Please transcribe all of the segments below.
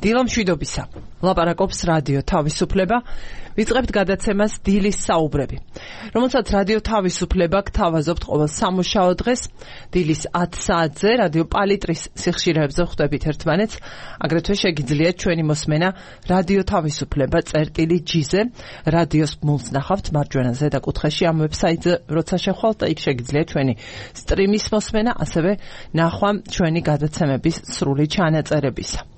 დილამშვიდობისა. ლაპარაკობს რადიო თავისუფლება. ვიწყებთ გადაცემას დილის საუბრები, რომელსაც რადიო თავისუფლება გთავაზობთ ყოველ სამუშაო დღეს დილის 10 საათზე რადიო პალიტრის სიხშირეებზე ხვდებით ერთმანეთს. აგრეთვე შეგიძლიათ ჩვენი მოსმენა რადიო თავისუფლება წერტილი-G-ზე, რადიოს ბმულს ნახავთ მარჯვენა ზედა კუთხეში ამ ვებსაიტზე, როცა შეხვალთ და იქ შეგიძლიათ ჩვენი სტრიმის მოსმენა, ასევე ნახვა ჩვენი გადაცემების სრული ჩანაწერებისა.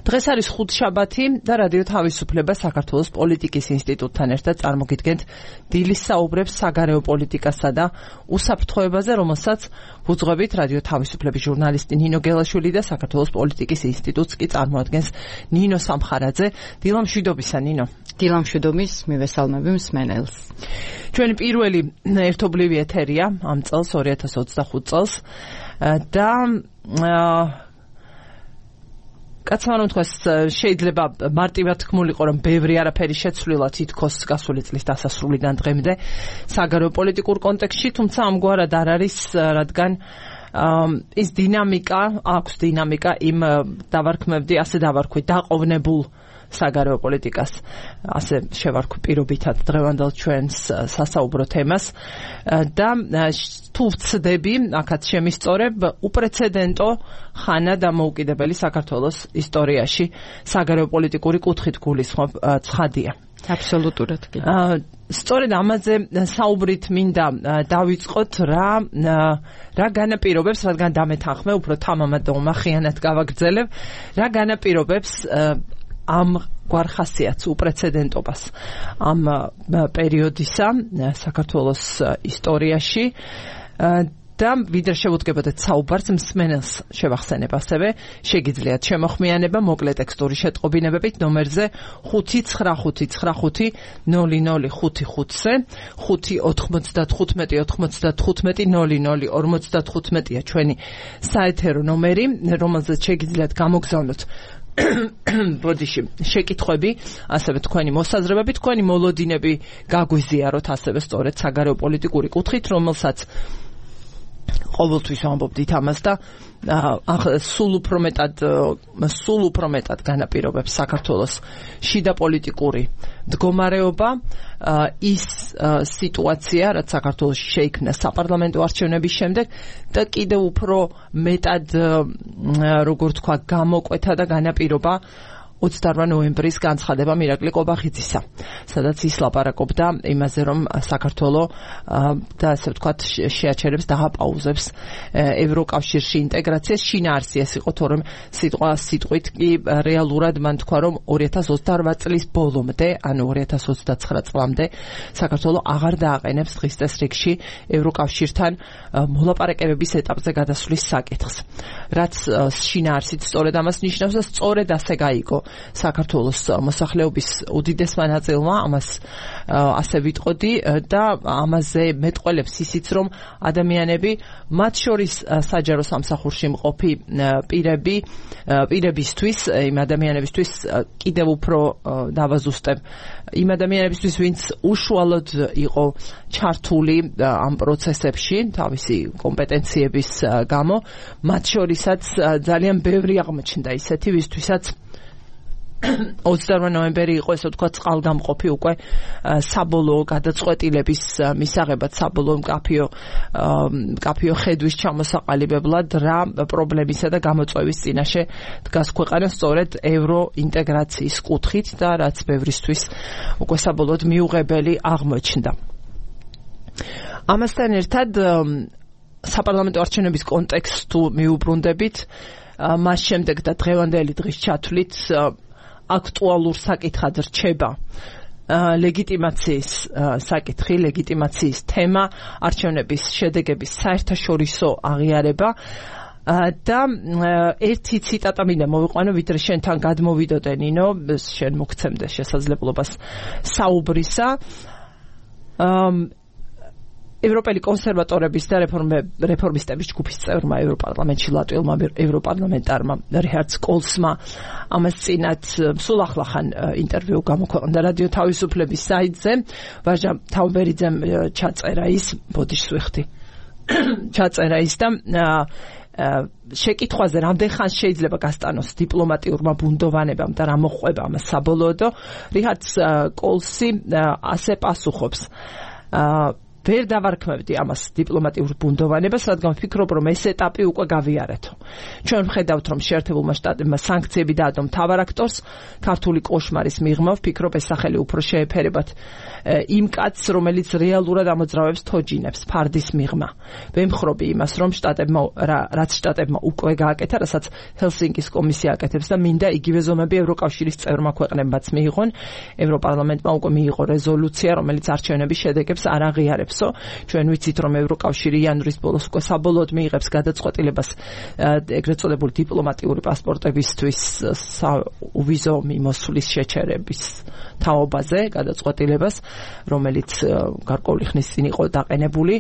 დღეს არის ხუთშაბათი და რადიო თავისუფლება საქართველოს პოლიტიკის ინსტიტუტთან ერთად წარმოგიდგენთ დილის საუბრებს საგარეო პოლიტიკასა და უსაფრთხოებაზე, რომელსაც ვუძღვებით რადიო თავისუფლების ჟურნალისტი ნინო გელაშვილი და საქართველოს პოლიტიკის ინსტიტუტს კი წარმოადგენს ნინო სამხარაძე. დილამშვიდობისა, ნინო. დილამშვიდობის, მივესალმები მსმენელს. ჩვენი პირველი ერთობლივი ეთერია ამ წელს 2025 წელს და კაცმა რომ თქვას, შეიძლება მარტივად თქმულიყო, რომ ბევრი არაფერი შეცვლილად ითქოს გასული წლის დასასრულიდან დღემდე საგარეო პოლიტიკურ კონტექსტში, თუმცა ამგვარად არ არის, რადგან ის დინამიკა, აქვს დინამიკა იმ ასე დავარქვი, დაყოვნებულ საგარეო პოლიტიკას, ასე შევარქვი პირობითად დღევანდელ ჩვენს სასაუბრო თემას და თუ ვცდები, აქაც შემისწორებ, უპრეცედენტო ხანა დამოუკიდებელი საქართველოს ისტორიაში საგარეო პოლიტიკური კუთხით გულისხმობ ცხადია. აბსოლუტურად კი. სწორედ ამაზე საუბრით მინდა დავიწყოთ, რა განაპირობებს, რადგან დამეთანხმე, უფრო თამამად და უმახიანად გავაგრძელებ, რა განაპირობებს ამ გვარ ხასიათს, უპრეცედენტობას ამ პერიოდისა საქართველოს ისტორიაში და ვიდრე შევუდგებოდეთ საუბარს, მსმენელს შევახსენებ ასევე, შეგიძლიათ შემოხმიანება მოკლე ტექსტური შეტყობინებებით ნომერზე 599500555-ზე 595-95-00-55-ია ჩვენი საეთერო ნომერი, რომელზეც შეგიძლიათ გამოგზავნოთ ბოდიში შეკითხვები, ასევე თქვენი მოსაზრებები, თქვენი მოლოდინები გაგვიზიაროთ ასევე სწორედ საგარეო პოლიტიკური კუთხით, რომელსაც ყოველთვის ვამბობდით ამას და სულ უფრო მეტად განაპირობებს საქართველოს შიდა პოლიტიკური მდგომარეობა, ის სიტუაცია, რაც საქართველოში შეიქმნა საპარლამენტო არჩევნების შემდეგ და კიდევ უფრო მეტად, როგორ თქვა, გამოკვეთა და განაპირობა 28 ნოემბრის განცხადება მირაკლი კობახიძისა, სადაც ის ლაპარაკობდა იმაზე, რომ საქართველო და ასე ვთქვათ შეაჩერებს და აპაუზებს ევროკავშირში ინტეგრაციას. შინაარსი იყო, თორემ სიტყვით კი რეალურად მან თქვა, რომ 2028 წლის ბოლომდე, ანუ 2029 წლამდე საქართველო აღარ დააყენებს დღის წესრიგში ევროკავშირთან მოლაპარაკებების ეტაპზე გადასვლის საკითხს. რაც შინაარსით სწორედ ამას ნიშნავს და სწორედ ასე გაიგო საქართველოს მოსახლეობის უდიდესმა ნაწილმა, ამას ასე ვიტყოდი და ამაზე მეტყველებს ისიც, რომ ადამიანები, მათ შორის საჯარო სამსახურში მყოფი პირებისთვის, იმ ადამიანებისთვის კიდევ უფრო დავაზუსტებ, იმ ადამიანებისთვის, ვინც უშუალოდ იყო ჩართული ამ პროცესებში თავისი კომპეტენციების გამო, მათ შორისაც ძალიან ბევრი აღმოჩნდა ისეთი, ვისთვისაც 28 ნოემბერი იყო, ესე ვთქვათ, წყალგამყოფი უკვე საბოლოო გადაწყვეტილების მისაღებად, საბოლოო მკაფიო ხედვის ჩამოსაყალიბებლად რა პრობლემისა და გამოწვევის წინაშე დგას ქვეყანა სწორედ ევროინტეგრაციის კუთხით და რაც ბევრისთვის უკვე საბოლოოდ მიუღებელი აღმოჩნდა. ამასთან ერთად საპარლამენტო არჩევნების კონტექსტს თუ მიუბრუნდებით, მას შემდეგ და დღევანდელი დღის ჩათვლით აქტუალურ საკითხად რჩება ლეგიტიმაციის საკითხი, ლეგიტიმაციის თემა, არჩევნების შედეგების საერთაშორისო აღიარება და ერთი ციტატა მინდა მოვიყვანო, ვიდრე შენთან გადმოვიდოდე, ნინო, შენ მოგცემდე შესაძლებლობას საუბრისა. ევროპელი კონსერვატორების და რეფორმისტების ჯგუფის წევრმა ევროპარლამენტში ლატვიელმა ევროპარლამენტარმა რიჰარდ კოლსმა ამას წინათ სულ ახლახან ინტერვიუ გამოქვეყნდა რადიო თავისუფლების საიტზე. ვაჟა თავბერიძემ ჩაწერა ის, ბოდიშს ვიხდი, ჩაწერა ის და შეკითხვაზე რამდენ ხანს შეიძლება გასტანოს დიპლომატიურმა ბუნდოვანებამ და რა მოხვება ამას საბოლოოდო, რიჰად კოლსი ასე პასუხობს. ვერ დავარქმევდი ამას დიპლომატიურ ბუნდოვანებას, რადგან ვფიქრობ, რომ ეს ეტაპი უკვე გავიარეთო. ჩვენ ვხედავთ, რომ შეერთებულმა შტატებმა სანქციები დაადო მთავარ აქტორს ქართული კოშმარის მიღმა, ვფიქრობ, ეს სახელი უფრო შეეფერებათ იმ კაცს, რომელიც რეალურად ამოძრავებს თოჯინებს, ფარდის მიღმა. ვემხრობი იმას, რომ რაც შტატებმა უკვე გააკეთა, რასაც ჰელსინკის კომისია აკეთებს და მინდა იგივე ზომები ევროკავშირის წევრმა ქვეყნებმაც მიიღონ. ევროპარლამენტმა უკვე მიიღო რეზოლუცია, რომელიც არჩევნების შედეგებს არ აღიარებს. ჩვენ ვიცით, რომ ევროკავშირი იანვრის ბოლოს უკვე საბოლოოდ მიიღებს გადაწყვეტილებას ეგრეთ წოდებული დიპლომატიური პასპორტებისთვის ვიზო მიმოსვლის შეჩერების თაობაზე გადაწყვეტილებას, რომელიც გარკვეული ხნის წინ იყო დაყენებული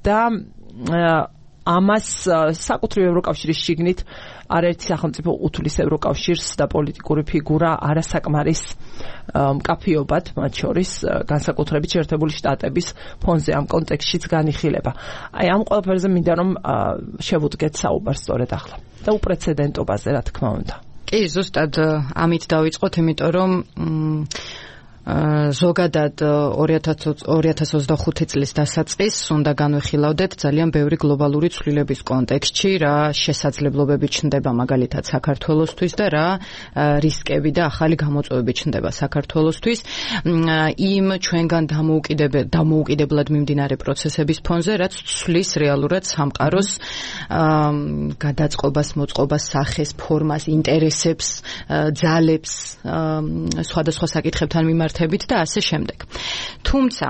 და ამას საკუთრივ ევროკავშირის შიგნით არაერთი სახელმწიფო უთვლის ევროკავშირს და პოლიტიკური ფიგურა არასაკმარის მკაფიობად, მათ შორის განსაკუთრებით შეერთებული შტატების ფონზე ამ კონტექსტშიც განიხილება. აი ამ ყველაფერზე მინდა რომ შევუდგეთ საუბარს სწორედ ახლა და უპრეცედენტობაზე, რა თქმა უნდა. კი, ზუსტად ამით დავიწყოთ, იმიტომ რომ ზოგადად 2025 წლის დასაწყისს უნდა განვიხილავდეთ ძალიან ბევრი გლობალური ცვლილების კონტექსტში, რა შესაძლებლობები ჩნდება მაგალითად საქართველოსთვის და რა რისკები და ახალი გამოწვევები ჩნდება საქართველოსთვის. იმ ჩვენგან დამოუკიდებლად მიმდინარე პროცესების ფონზე, რაც ცვლის რეალურად სამყაროს გადაწყობას, მოწყობას, სახეს, ფორმას, ინტერესებს, ძალებს, სხვადასხვა საკითხებთან მიმართ და ასე შემდეგ. თუმცა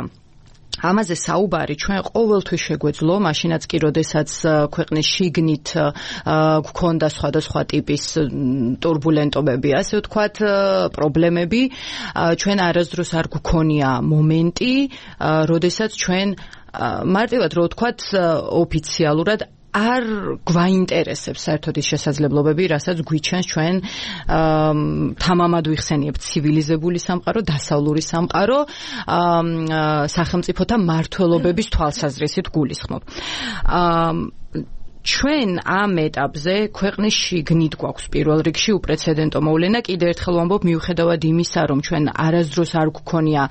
ამაზე საუბარი ჩვენ ყოველთვის შეგვეძლო, მაშინაც კი, როდესაც ქვეყნის შიგნით გვქონდა სხვადასხვა ტიპის ტურბულენტობები, ასე ვთქვათ, პრობლემები, ჩვენ არასდროს არ გვქონია მომენტი, როდესაც ჩვენ მარტივად რო ვთქვათ, ოფიციალურად არ გვაინტერესებს საერთოდ ის შესაძლებლობები, რასაც გვიჩენს ჩვენ თამამად ვიხსენიებთ ცივილიზებული სამყარო, დასავლური სამყარო, სახელმწიფოთა მმართველობების თვალსაზრისით გულისხმობ. ჩვენ ამ ეტაპზე ქვეყნის შიგნით გვაქვს პირველ რიგში უპრეცედენტო მოვლენა. კიდევ ერთხელ ვამბობ, მიუხედავად იმისა, რომ ჩვენ არასდროს არ გვქონია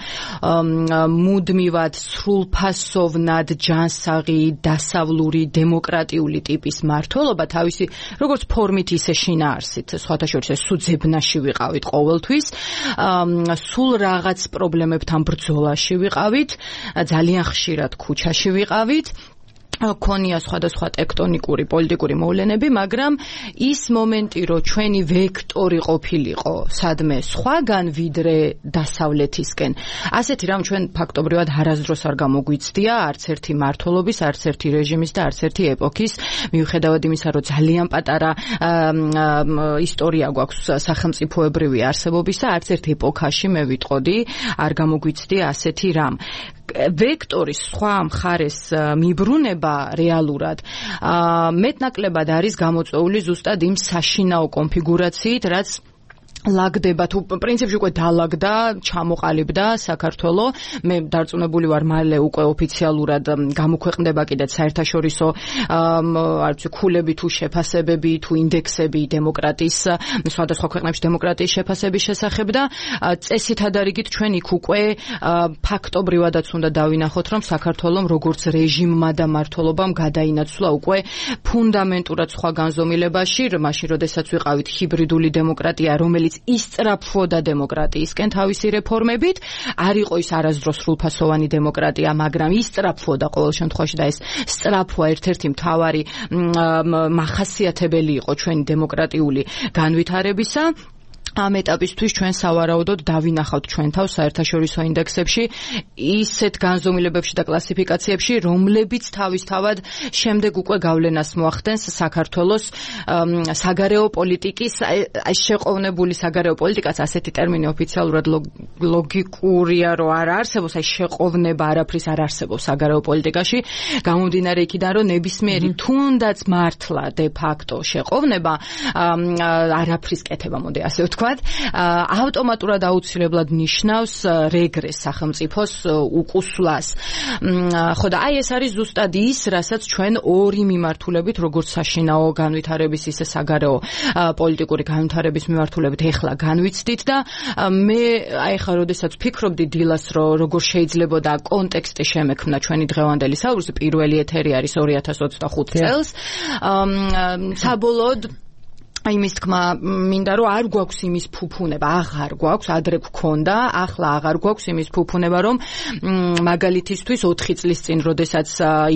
მუდმივად სრულფასოვნად ჯანსაღი, დასავლური, დემოკრატიული ტიპის მმართველობა, თავისი როგორც ფორმით, ისე შინაარსით, სხვათა შორის სუძებნაში ვიყავით ყოველთვის, სულ რაღაც პრობლემებთან ბრძოლაში ვიყავით, ძალიან ხშირად ქუჩაში ვიყავით. ქონია სხვადასხვა ტექტონიკური პოლიტიკური მოვლენები, მაგრამ ის მომენტი, რომ ჩვენი ვექტორი ყოფილიყო სადმე სხვაგან ვიდრე დასავლეთისკენ, ასეთი რამ ჩვენ ფაქტობრივად არასდროს არ გამოგვიცდია არც ერთი მმართველობის, არც ერთი რეჟიმის და არც ერთი ეპოქის, მიუხედავად იმისა, რომ ძალიან პატარა ისტორია გვაქვს სახელმწიფოებრივი არსებობისა, არც ერთ ეპოქაში მე ვიტყოდი არ გამოგვიცდია ასეთი რამ. ვექტორის სხვა მხარეს მიბრუნება რეალურად მეტნაკლებად არის გამოწვეული ზუსტად იმ საშინაო კონფიგურაციით, რაც ლაგდება თუ პრინციპში უკვე დალაგდა, ჩამოყალიბდა საქართველო. მე დარწმუნებული ვარ, მალე უკვე ოფიციალურად გამოქვეყნდება კიდეც საერთაშორისო ქულები თუ შეფასებები თუ ინდექსები დემოკრატიის, სხვადასხვა ქვეყნებში დემოკრატიის შეფასების შესახებ და წესით ადარიგით ჩვენ იქ უკვე ფაქტობრივადაც უნდა დავინახოთ, რომ საქართველომ როგორც რეჟიმმა და მმართველობამ გადაინაცვლა უკვე ფუნდამენტურად სხვა განზომილებაში, მაშინ როდესაც ვიყავით ჰიბრიდული დემოკრატია, რომელიც ისწრაფვოდა დემოკრატიისკენ თავისი რეფორმებით, არ იყო ის არასდროს სრულფასოვანი დემოკრატია, მაგრამ ისწრაფვოდა ყოველ შემთხვევაში და ეს სწრაფვა ერთ-ერთი მთავარი მახასიათებელი იყო ჩვენი დემოკრატიული განვითარებისა. ამ ეტაპისთვის ჩვენ სავარაუდოდ დავინახავთ ჩვენ თავს საერთაშორისო ინდექსებში, ისეთ განზომილებებში და კლასიფიკაციებში, რომლებიც თავისთავად შემდეგ უკვე გავლენას მოახდენს საქართველოს საგარეო პოლიტიკის, შეყოვნებული საგარეო პოლიტიკაც, ასეთი ტერმინი ოფიციალურად ლოგიკურია, რომ არ არსებობს, შეყოვნება არაფრის არ არსებობს საგარეო პოლიტიკაში, გამომდინარე იქიდან, რომ ნებისმიერი თუნდაც მართლა დე ფაქტო შეყოვნება არაფრის კეთება, მოდი ასე ვთქვათ, ვთქვათ, ავტომატურად აუცილებლად ნიშნავს რეგრესს სახელმწიფოს უკუსვლას. ხო და აი ეს არის ზუსტად ის, რასაც ჩვენ ორი მიმართულებით, როგორც საშინაო განვითარების, ისე საგარეო პოლიტიკური განვითარების მიმართულებით ეხლა განვიცდით და მე აი ხა როდესაც ვფიქრობდი დილას, რომ როგორ შეიძლება და კონტექსტი შემექმნა ჩვენი დღევანდელი საუბრის, პირველი ეთერი არის 2025 წელს. საბოლოოდ აი მის თქმა მინდა რომ არ გვაქვს იმის ფუფუნება, აღარ გვაქვს, ადრე გქონდა, ახლა აღარ გვაქვს იმის ფუფუნება, რომ მაგალითისთვის 4 წლის წინ, როდესაც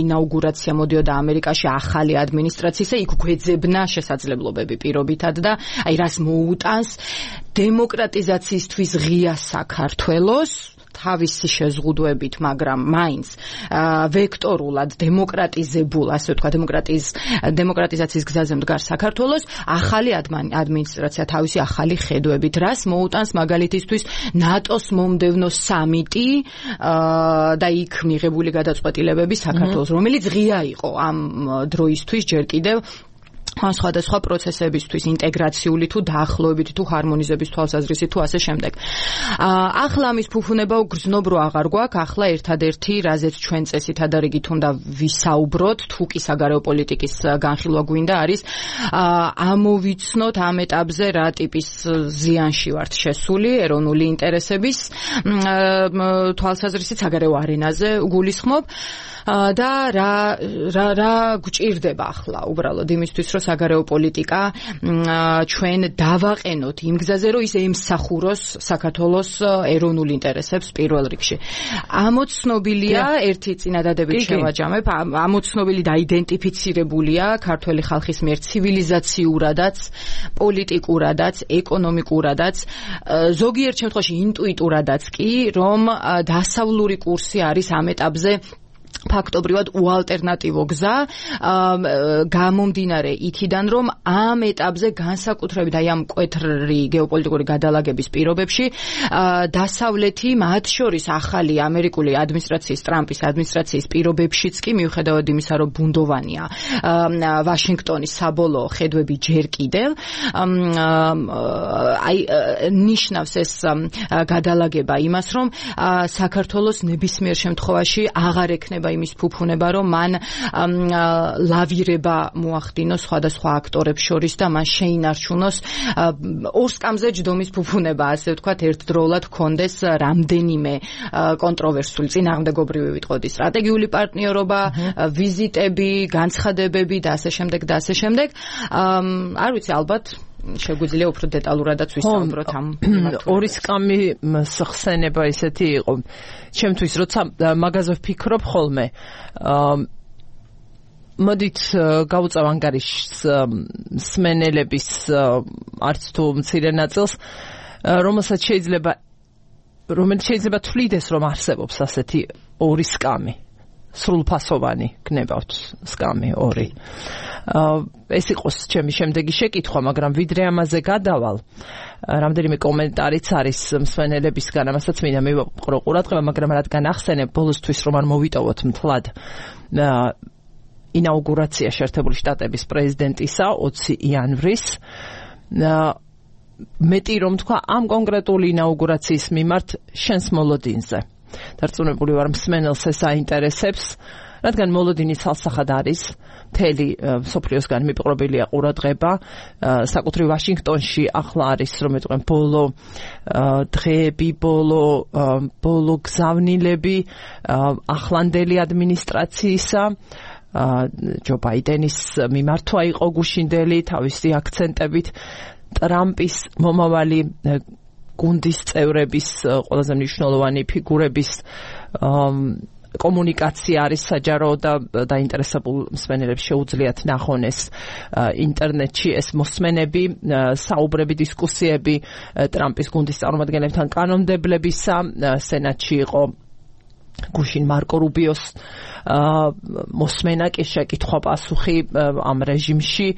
ინაუგურაცია მოდიოდა ამერიკაში ახალი ადმინისტრაციისა, იქ გვეძებნა შესაძლებლობები პირობითად და აი რას მოუტანს დემოკრატიზაციისთვის ღია საქართველოს თავისი შეზღუდვებით, მაგრამ მაინც ვექტორულად დემოკრატიზებულ, ასე ვთქვა, დემოკრატიზაციის გზაზე მდგარ საქართველოს ახალი ადმინისტრაცია თავისი ახალი ხედვებით, რას მოუტანს მაგალითისთვის ნატოს მომდევნო სამიტი და იქ მიღებული გადაწყვეტილებები საქართველოს, რომელიც ღია იყო ამ დროისთვის ჯერ კიდევ სხვადასხვა პროცესებისთვის, ინტეგრაციული თუ დაახლოებითი თუ ჰარმონიზების თვალსაზრისით თუ ასე შემდეგ. ახლა ამის ფუფუნება გრძნობ რო აღარ გვაქვს, ახლა ერთადერთი, რაზეც ჩვენ წესითადარიგით უნდა ვისაუბროთ, თუ კი საგარეო პოლიტიკის განხილვა გვინდა, არის ამოვიცნოთ ამ ეტაპზე რა ტიპის ზიანში ვართ შესული ეროვნული ინტერესების თვალსაზრისით საგარეო არენაზე გულისხმობ. და რა გვჭირდება ახლა უბრალოდ იმისთვის, რომ საგარეო პოლიტიკა ჩვენ დავაყენოთ იმ გზაზე, რომ ის ემსახუროს საქართველოს ეროვნულ ინტერესებს პირველ რიგში. ამოცნობილია, ერთი წინადადებით შევაჯამებ, ამოცნობილი და აიდენტიფიცირებულია ქართველი ხალხის მიერ ცივილიზაციურადაც, პოლიტიკურადაც, ეკონომიკურადაც, ზოგიერთ შემთხვევაში ინტუიტურადაც კი, რომ დასავლური კურსი არის ამ ეტაპზე ფაქტობრივად უალტერნატივო გზა, გამომდინარე იქიდან, რომ ამ ეტაპზე განსაკუთრებით აი ამ მკვეთრი გეოპოლიტიკური გადალაგების პირობებში დასავლეთი, მათ შორის ახალი ამერიკული ადმინისტრაციის, ტრამპის ადმინისტრაციის პირობებშიც კი, მიუხედავად იმისა, რომ ბუნდოვანია ვაშინგტონის საბოლოო ხედვები ჯერ კიდევ, აი ნიშნავს ეს გადალაგება იმას, რომ საქართველოს ნებისმიერ შემთხვევაში აღარ ექნება იმის ფუფუნება, რომ მან ლავირება მოახდინოს სხვადასხვა აქტორებს შორის და მან შეინარჩუნოს ორსკამზე ჯდომის ფუფუნება, ასე ვთქვათ, ერთდროულად ჰქონდეს რამდენიმე კონტროვერსული წინააღმდეგობრივი ვიტყოდი სტრატეგიული პარტნიორობა, ვიზიტები, განცხადებები და ასე შემდეგ და ასე შემდეგ. არ ვიცი, ალბათ შეგვიძლია უფრო დეტალურადაც ვისაუბროთ ამ ორი სკამი ხსენება ისეთი იყო. ჩემთვის როცა მაგაზე ვფიქრობ ხოლმე, მოდით გავუწევ ანგარიშს სმენელების არც თუ მცირე ნაწილს, რომელსაც შეიძლება თვლიდეს, რომ არსებობს ასეთი ორი სკამი. სრულფასოვანი გნებავთ სკამი ორი. ეს იყოს ჩემი შემდეგი შეკითხვა, მაგრამ ვიდრე ამაზე გადავალ, რამდენიმე კომენტარიც არის მსმენელებისგან, ამასაც მინდა მივაყრო ყურადღება, მაგრამ რადგან ახსენებ ბოლოსთვის, რომ არ მოვიტოვოთ მთლად ინაუგურაცია შეერთებული შტატების პრეზიდენტისა 20 იანვრის, მეტი რომ თქვა ამ კონკრეტული ინაუგურაციის მიმართ შენს მოლოდინზე. დარწმუნებული ვარ, მსმენელს ეს აინტერესებს, რადგან მოლოდინი ცალსახად არის, მთელი მსოფლიოსგან მიპყრობილია ყურადღება, საკუთრივ ვაშინგტონში ახლა არის, რომ ეტყვენ, ბოლო დღეები, ბოლო გზავნილები ახლანდელი ადმინისტრაციისა, ჯო ბაიდენის მიმართვა იყო გუშინდელი თავისი აქცენტებით, ტრამპის მომავალი გუნდის წევრების, ყველაზე მნიშვნელოვანი ფიგურების კომუნიკაცია არის საჯარო და დაინტერესებულ მსმენელებს შეუძლიათ ნახონ ეს ინტერნეტში, ეს მოსმენები, საუბრები, დისკუსიები ტრამპის გუნდის წარმომადგენლებთან კანონმდებლებისა. სენატში იყო გუშინ მარკო რუბიოს მოსმენა, კი შეკითხვა-პასუხი ამ რეჟიმში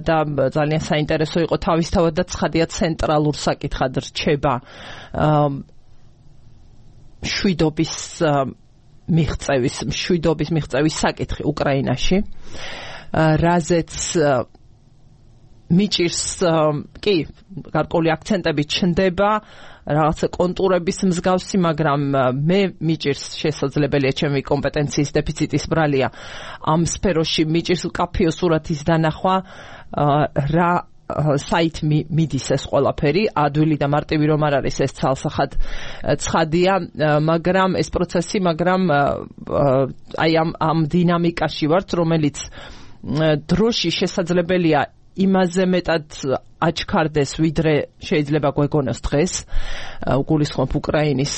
და ძალიან საინტერესო იყო თავისთავად და ცხადია ცენტრალურ საკითხად რჩება მშვიდობის მიღწევის საკითხი უკრაინაში, რაზეც მიჭირს კი გარკვეული აქცენტები ჩნდება რაღაცა კონტურების მსგავსი, მაგრამ მე მიჭირს შესაძლებელია ჩემი კომპეტენციის დეფიციტის ბრალია ამ სფეროში მიჭირს კაფეო სურათის დანახვა რა საით მიდის ეს ყველაფერი, ადვილი და მარტივი რომ არ არის ეს ცალსახად ცხადია, მაგრამ ეს პროცესი, მაგრამ აი ამ დინამიკაში ვართ, რომელიც დროში შესაძლებელია იმაზე მეტად აჩქარდეს, ვიდრე შეიძლება გვეგონოს დღეს, გულისხმობ უკრაინის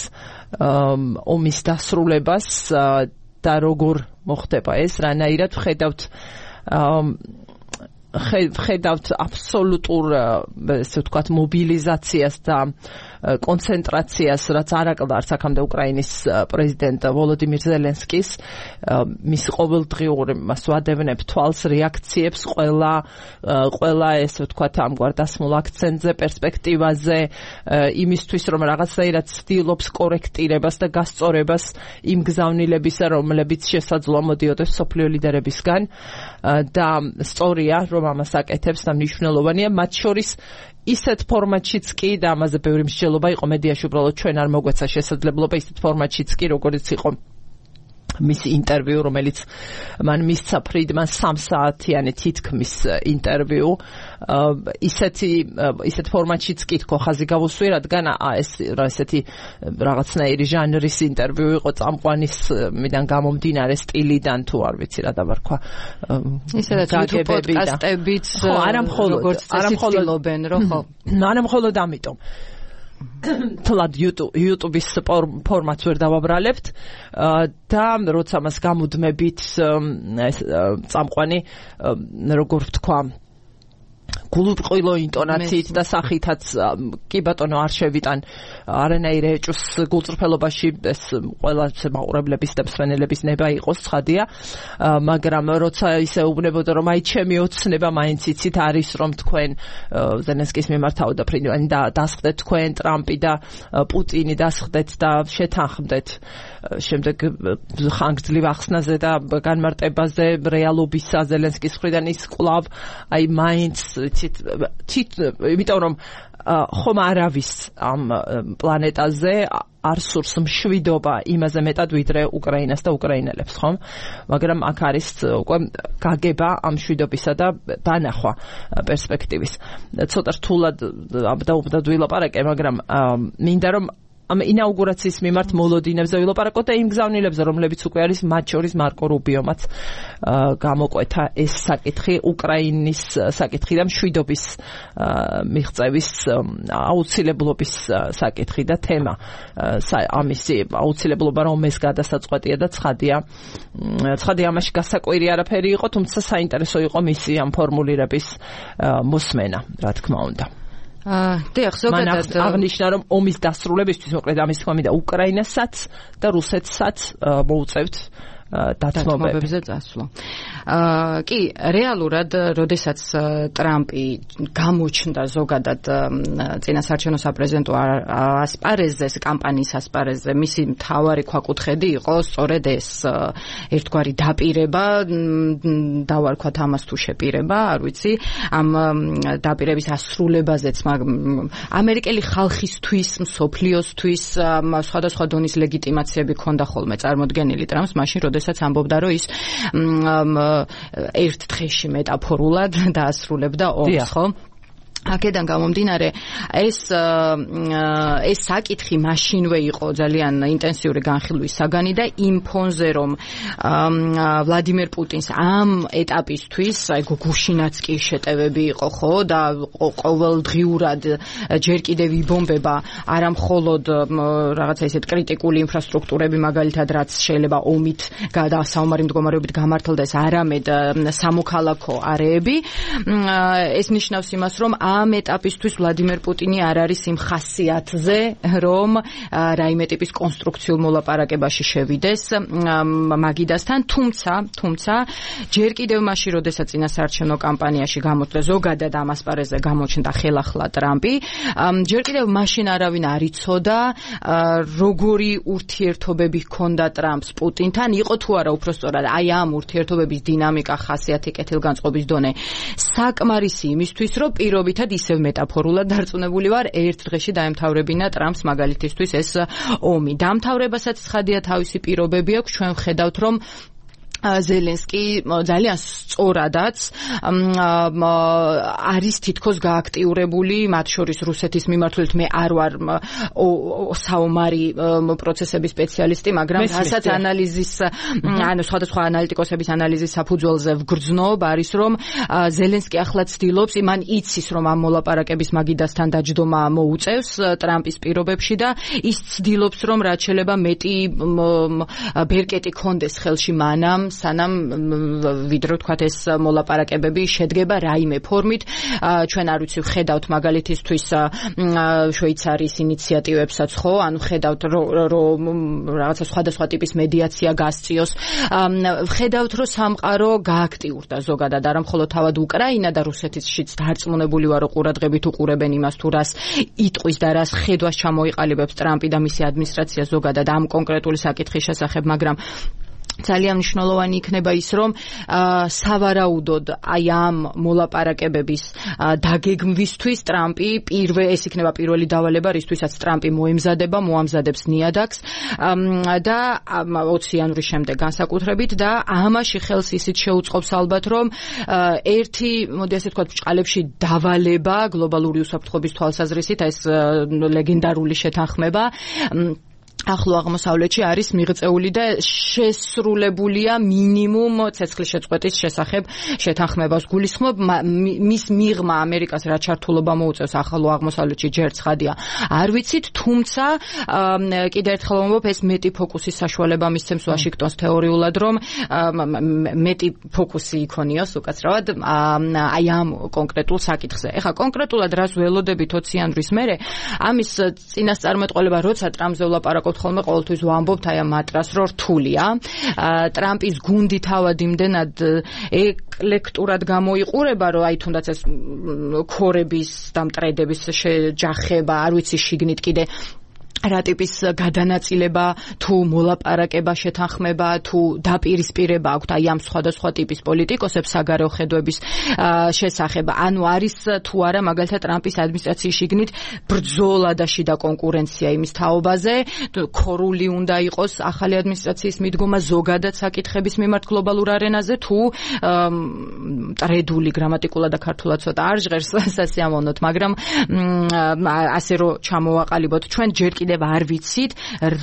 ომის დასრულებას და როგორ მოხდება ეს, რანაირად ხედავთ აბსოლუტურ, ესე ვთქვათ, მობილიზაციას და კონცენტრაციას, რაც არ აკლდარს აქამდე უკრაინის პრეზიდენტ ვოლოდიმირ ზელენსკის, მის ყოველდღიურ მას ვადევნებ თვალს რეაქციებს ყველა ესე ვთქვათ ამგვარ დასმულ აქცენტზე, პერსპექტივაზე, იმისთვის რომ რაღაცნაირად ცდილობს კორექტირებას და გასწორებას იმ გზავნილებისა, რომლებიც შესაძლოა მოდიოდეს მსოფლიო ლიდერებისგან და სწორია რომ ამას აკეთებს და მნიშვნელოვანია, მათ შორის ისეთ ფორმატშიც კი და ამაზე ბევრი მსჯელობა იყო მედიაში, უბრალოდ ჩვენ არ მოგვეცა შესაძლებლობა ისეთ ფორმატშიც კი, როგორც იყო მის ინტერვიუ, რომელიც მან მისცა ფრიდმან 3 საათიანი თითქმის ინტერვიუ, ისეთ ფორმატშიც კი თქო ხაზი გავუსვი, რადგან ეს ესეთი რაღაცნაირი ჟანრის ინტერვიუ იყო წამყვანის მიდან გამომდინარე სტილიდან, თუ არ ვიცი რა დავარქვა. ისედაც YouTube პოდკასტებიც როგორც ცდილობენ, რომ ხო. არა მხოლოდ ამიტომ. თლად YouTube-ის ფორმატს ვერ დავაბრალებთ და როცა მას გამუდმებით წამყვანი, როგორ ვთქვა, გულუბრყვილო ინტონაციით და სახითაც კი ბატონო არ შევიტან არანაირ ეჭვს გულწრფელობაში, ეს ყველა მაყურებლების და მსმენელების ნება იყოს, ცხადია, მაგრამ როცა ისე უბნებოდა რომ აი ჩემი ოცნება მაინც იცით არის რომ თქვენ ზელენსკის მიმართავდა ფრიდმანი და დასხდეთ თქვენ ტრამპი და პუტინი დასხდეთ და შეთანხმდეთ შემდეგ ხანგრძლივ ახსნაზე და განმარტებაზე რეალობისა ზელენსკის მხრიდან ის კვლავ აი მაინც იმიტომ რომ ხომ არავის ამ პლანეტაზე არ სურს მშვიდობა იმაზე მეტად ვიდრე უკრაინას და უკრაინელებს, ხომ? მაგრამ აქ არის უკვე გაგება ამ მშვიდობისა და დანახვა პერსპექტივის. ცოტა რთულად და ვილაპარაკე, მაგრამ მინდა რომ ამ ინაუგურაციის მიმართ მოლოდინებზე ვილაპარაკოთ და იმ გზავნილებზე, რომლებიც უკვე არის, მათ შორის მარკო რუბიომაც გამოკვეთა ეს საკითხი, უკრაინის საკითხი და მშვიდობის მიღწევის აუცილებლობის საკითხი და თემა. ამისი აუცილებლობა რომ ეს გადასაწყვეტია და ცხადია ამაში გასაკვირი არაფერი იყო, თუმცა საინტერესო იყო მისი ამ ფორმულირების მოსმენა, რა თქმა უნდა. დიახ, ზოგადად აღნიშნა რომ ომის დასრულებისთვის, მოკლედ ამის თქმა მინდა უკრაინასაც და რუსეთსაც მოუწევთ დათმობებზე წასვლა. კი, რეალურად, როდესაც ტრამპი გამოჩნდა ზოგადად წინასაარჩევნო საპრეზიდენტო ასპარეზზე, კამპანიის ასპარეზზე, მისი მთავარი ქვაკუთხედი იყო სწორედ ეს ერთგვარი დაპირება, დავარქვათ ამას თუ შეპირება, არ ვიცი, ამ დაპირების ასრულებაზეც ამერიკელი ხალხისთვის, მსოფლიოსთვის სხვადასხვა დონის ლეგიტიმაციები ჰქონდა ხოლმე წარმოდგენილი ტრამპს, მაშინ როდესაც ამბობდა, რომ ის ერთ დღეში მეტაფორულად დაასრულებდა ომს, ხო? აქედან გამომდინარე ეს საკითხი მაშინვე იყო ძალიან ინტენსიური განხილვის საგანი და იმ ფონზე რომ ვლადიმერ პუტინს ამ ეტაპისთვის აი გუშინაც კი შეტევები იყო ხო და ყოველდღიურად ჯერ კიდევ იბომბება არა მხოლოდ რაღაცა ისეთ კრიტიკული ინფრასტრუქტურები მაგალითად რაც შეიძლება ომით და საომარი მდგომარეობით გამართლდეს არამედ სამოქალაქო არეები ეს ნიშნავს იმას რომ ამ ეტაპისთვის ვლადიმერ პუტინი არ არის იმ ხასიათზე, რომ რაიმე ტიპის კონსტრუქციულ მოლაპარაკებაში შევიდეს მაგიდასთან, თუმცა ჯერ კიდევ მაშინ, როდესაც წინასაარჩევნო კამპანიაში გამოჩნდა ზოგადად ამ ასპარეზზე გამოჩნდა ხელახლა ტრამპი, ჯერ კიდევ მაშინ არავინ არ იცოდა როგორი ურთიერთობები ჰქონდა ტრამპს პუტინთან, იყო თუ არა უпростоრად აი ამ ურთიერთობების დინამიკა, ხასიათი, კეთილგანწყობის დონე საკმარისი იმისთვის, რომ პირობითად ისევ მეტაფორულად დარწმუნებული ვარ, ერთ დღეში დაემთავრებინა ტრამპს მაგალითისთვის ეს ომი. დამთავრებასაც ცხადია თავისი პირობები აქვს, ჩვენ ვხედავთ, რომ ზელენსკი ძალიან სწორადაც არის თითქოს გააქტიურებული, მათ შორის რუსეთის მიმართულებით. მე არ ვარ საომარი პროცესების სპეციალისტი, მაგრამ რასაც ანალიზის, სხვადასხვა ანალიტიკოსების ანალიზის საფუძველზე ვგრძნობ, არის რომ ზელენსკი ახლა ცდილობს, მან იცის, რომ ამ მოლაპარაკების მაგიდასთან დაჯდომა მოუწევს ტრამპის პირობებში და ის ცდილობს, რომ რაც შეიძლება მეტი ბერკეტი ქონდეს ხელში მანამ, სანამ ვიდრე ვთქვათ ეს მოლაპარაკებები შედგება რაიმე ფორმით. ჩვენ არ ვიცი, ვხედავთ მაგალითისთვის შვეიცარიის ინიციატივებსაც, ხო? ანუ ვხედავთ, რომ რაღაცა სხვადასხვა ტიპის მედიაცია გასწიოს. ვხედავთ, რომ სამყარო გააქტიურდა ზოგადად, არა მხოლოდ თავად უკრაინა და რუსეთიც დარწმუნებული ვარო ყურადღებით უყურებენ იმას, თუ რას იტყვის და რას ხედვას ჩამოიყალიბებს ტრამპი და მისი ადმინისტრაცია ზოგადად ამ კონკრეტული საკითხის შესახებ, მაგრამ ძალიან მნიშვნელოვანი იქნება ის, რომ სავარაუდოდ აი ამ მოლაპარაკებების დაგეგმვისთვის ტრამპი ეს იქნება პირველი დავალება, რისთვისაც ტრამპი მოამზადებს ნიადაგს და 20 იანვრის შემდეგ განსაკუთრებით და ამაში ხელს ისიც შეუწყობს ალბათ, რომ ერთი, მოდი ასე ვთქვათ, ბრჭყალებში დავალება გლობალური უსაფრთხოების თვალსაზრისით, ეს ლეგენდარული შეთანხმება ახლო აღმოსავლეთში არის მიღწეული და შესრულებულია მინიმუმ ცეცხლის შეწყვეტის შესახებ შეთანხმებას გულისხმობ. მის მიღმა ამერიკას რა ჩართულობა მოუწევს ახლო აღმოსავლეთში ჯერ ცხადია არ ვიცით, თუმცა კიდევ ერთხელ ვამბობ, ეს მეტი ფოკუსის საშუალება მისცემს ვაშინგტონს თეორიულად, რომ მეტი ფოკუსი იქონიოს უკაცრავად აი ამ კონკრეტულ საკითხზე. ეხლა კონკრეტულად რას ველოდებით 20 იანვრის მერე, ამის წინასწარმეტყველება, როცა ტრამპზე ვლაპარაკობთ ხოლმე ყოველთვის ვამბობთ აი ამ მატრას, რომ რთულია. ტრამპის გუნდი თავად იმდენად ეკლექტურად გამოიყურება, რომ აი თუნდაც ეს ქორების და მტრედების შეჯახება, არ ვიცი შიგნით კიდე რა ტიპის გადანაწილება, თუ მოლაპარაკება, შეთანხმება, თუ დაპირისპირება აქვთ აი ამ სხვადასხვა ტიპის პოლიტიკოსებს საგარეო ხედვების შესახებ. ანუ არის თუ არა მაგალითად ტრამპის ადმინისტრაციის შიგნით ბრძოლა და შიდა კონკურენცია იმის თაობაზე, ქორული უნდა იყოს ახალი ადმინისტრაციის მიდგომა ზოგადად საკითხების მიმართ გლობალურ არენაზე, თუ ტრედული გრამატიკულად და ქართულად ცოტა არ ჟღერს სასიამოვნოთ, მაგრამ ასე რომ ჩამოვაყალიბოთ, ჩვენ ჯერ კიდევ არ ვიცით,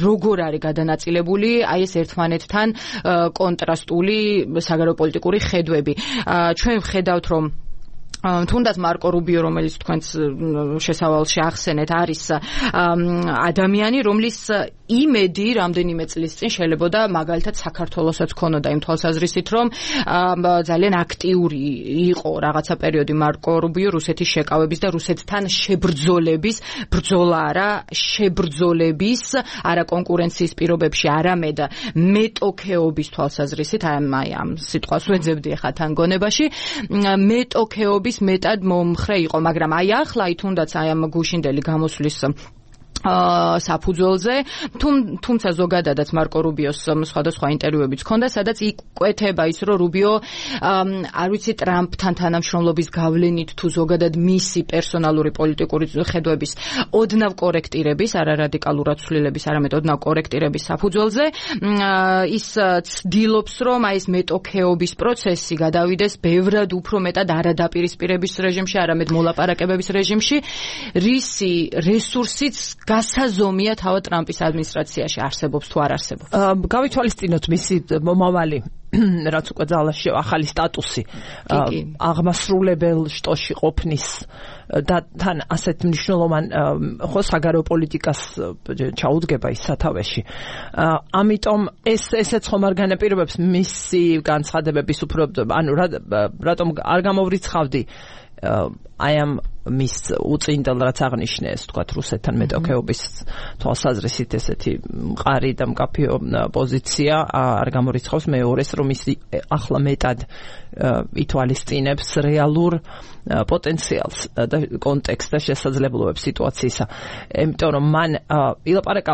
როგორ არის გადანაწილებული აი ეს ერთმანეთთან კონტრასტული საგარეო პოლიტიკური ხედვები. ჩვენ ვხედავთ, რომ თუნდაც მარკო რუბიო, რომელიც თქვენს შესავალში ახსენეთ, არის ადამიანი, რომლის იმედი რამდენიმე წლის წინ შეიძლებოდა მაგალითად საქართველოსაც ქონოდა იმ თვალსაზრისით, რომ ძალიან აქტიური იყო რაღაცა პერიოდი მარკო რუბიო რუსეთის შეკავების და რუსეთთან შებრძოლების, ბრძოლა არა, შებრძოლების, არა კონკურენციის პირობებში, არამედ მეტოქეობის თვალსაზრისით, აი ამ სიტყვას ვეძებდი ახლა თან გონებაში, მეტოქეობის მეტად მომხრე იყო, მაგრამ აი ახლა თუნდაც აი ამ გუშინდელი გამოსვლის საფუძველზე, თუმცა ზოგადადაც მარკო რუბიოს სხვადასხვა ინტერვიუებიც ჰქონდა, სადაც იკვეთება ის, რომ რუბიო არ ვიცი ტრამპთან თანამშრომლობის გავლენით თუ ზოგადად მისი პერსონალური პოლიტიკური ხედვების ოდნავ კორექტირების, არა რადიკალურად ცვლილების, არამედ ოდნავ კორექტირების საფუძველზე ის ცდილობს, რომ აი ეს მეტოქეობის პროცესი გადავიდეს ბევრად უფრო მეტად არადაპირისპირების რეჟიმში, არამედ მოლაპარაკებების რეჟიმში, რისი რესურსიც გასაზომია თავად ტრამპის ადმინისტრაციაში არსებობს თუ არ არსებობს. გავითვალისწინოთ მისი მომავალი რაც უკვე ძალაში ახალი სტატუსი აღმასრულებელ შტოში ყოფნის და თან ასეთ მნიშვნელოვან ხო საგარეო პოლიტიკას ჩაუდგება ის სათავეში. ამიტომ ესეც ხომ არ განაპირობებს მისი განცხადებების უფრო, ანუ რატომ არ გამოვრიცხავდი აი ამ მის უწინდელ რაც აღნიშნეს, თქვათ, რუსეთთან მეტოქეობის თვალსაზრისით ესეთი მყარი და მკაფიო პოზიცია არ გამორიცხავს მეორეს, რომ ის ახლა მეტად ითვალისწინებს რეალურ პოტენციალს და კონტექსტს და შესაძლებლობებს სიტუაციისა. იმიტომ რომ მან ილაპარაკა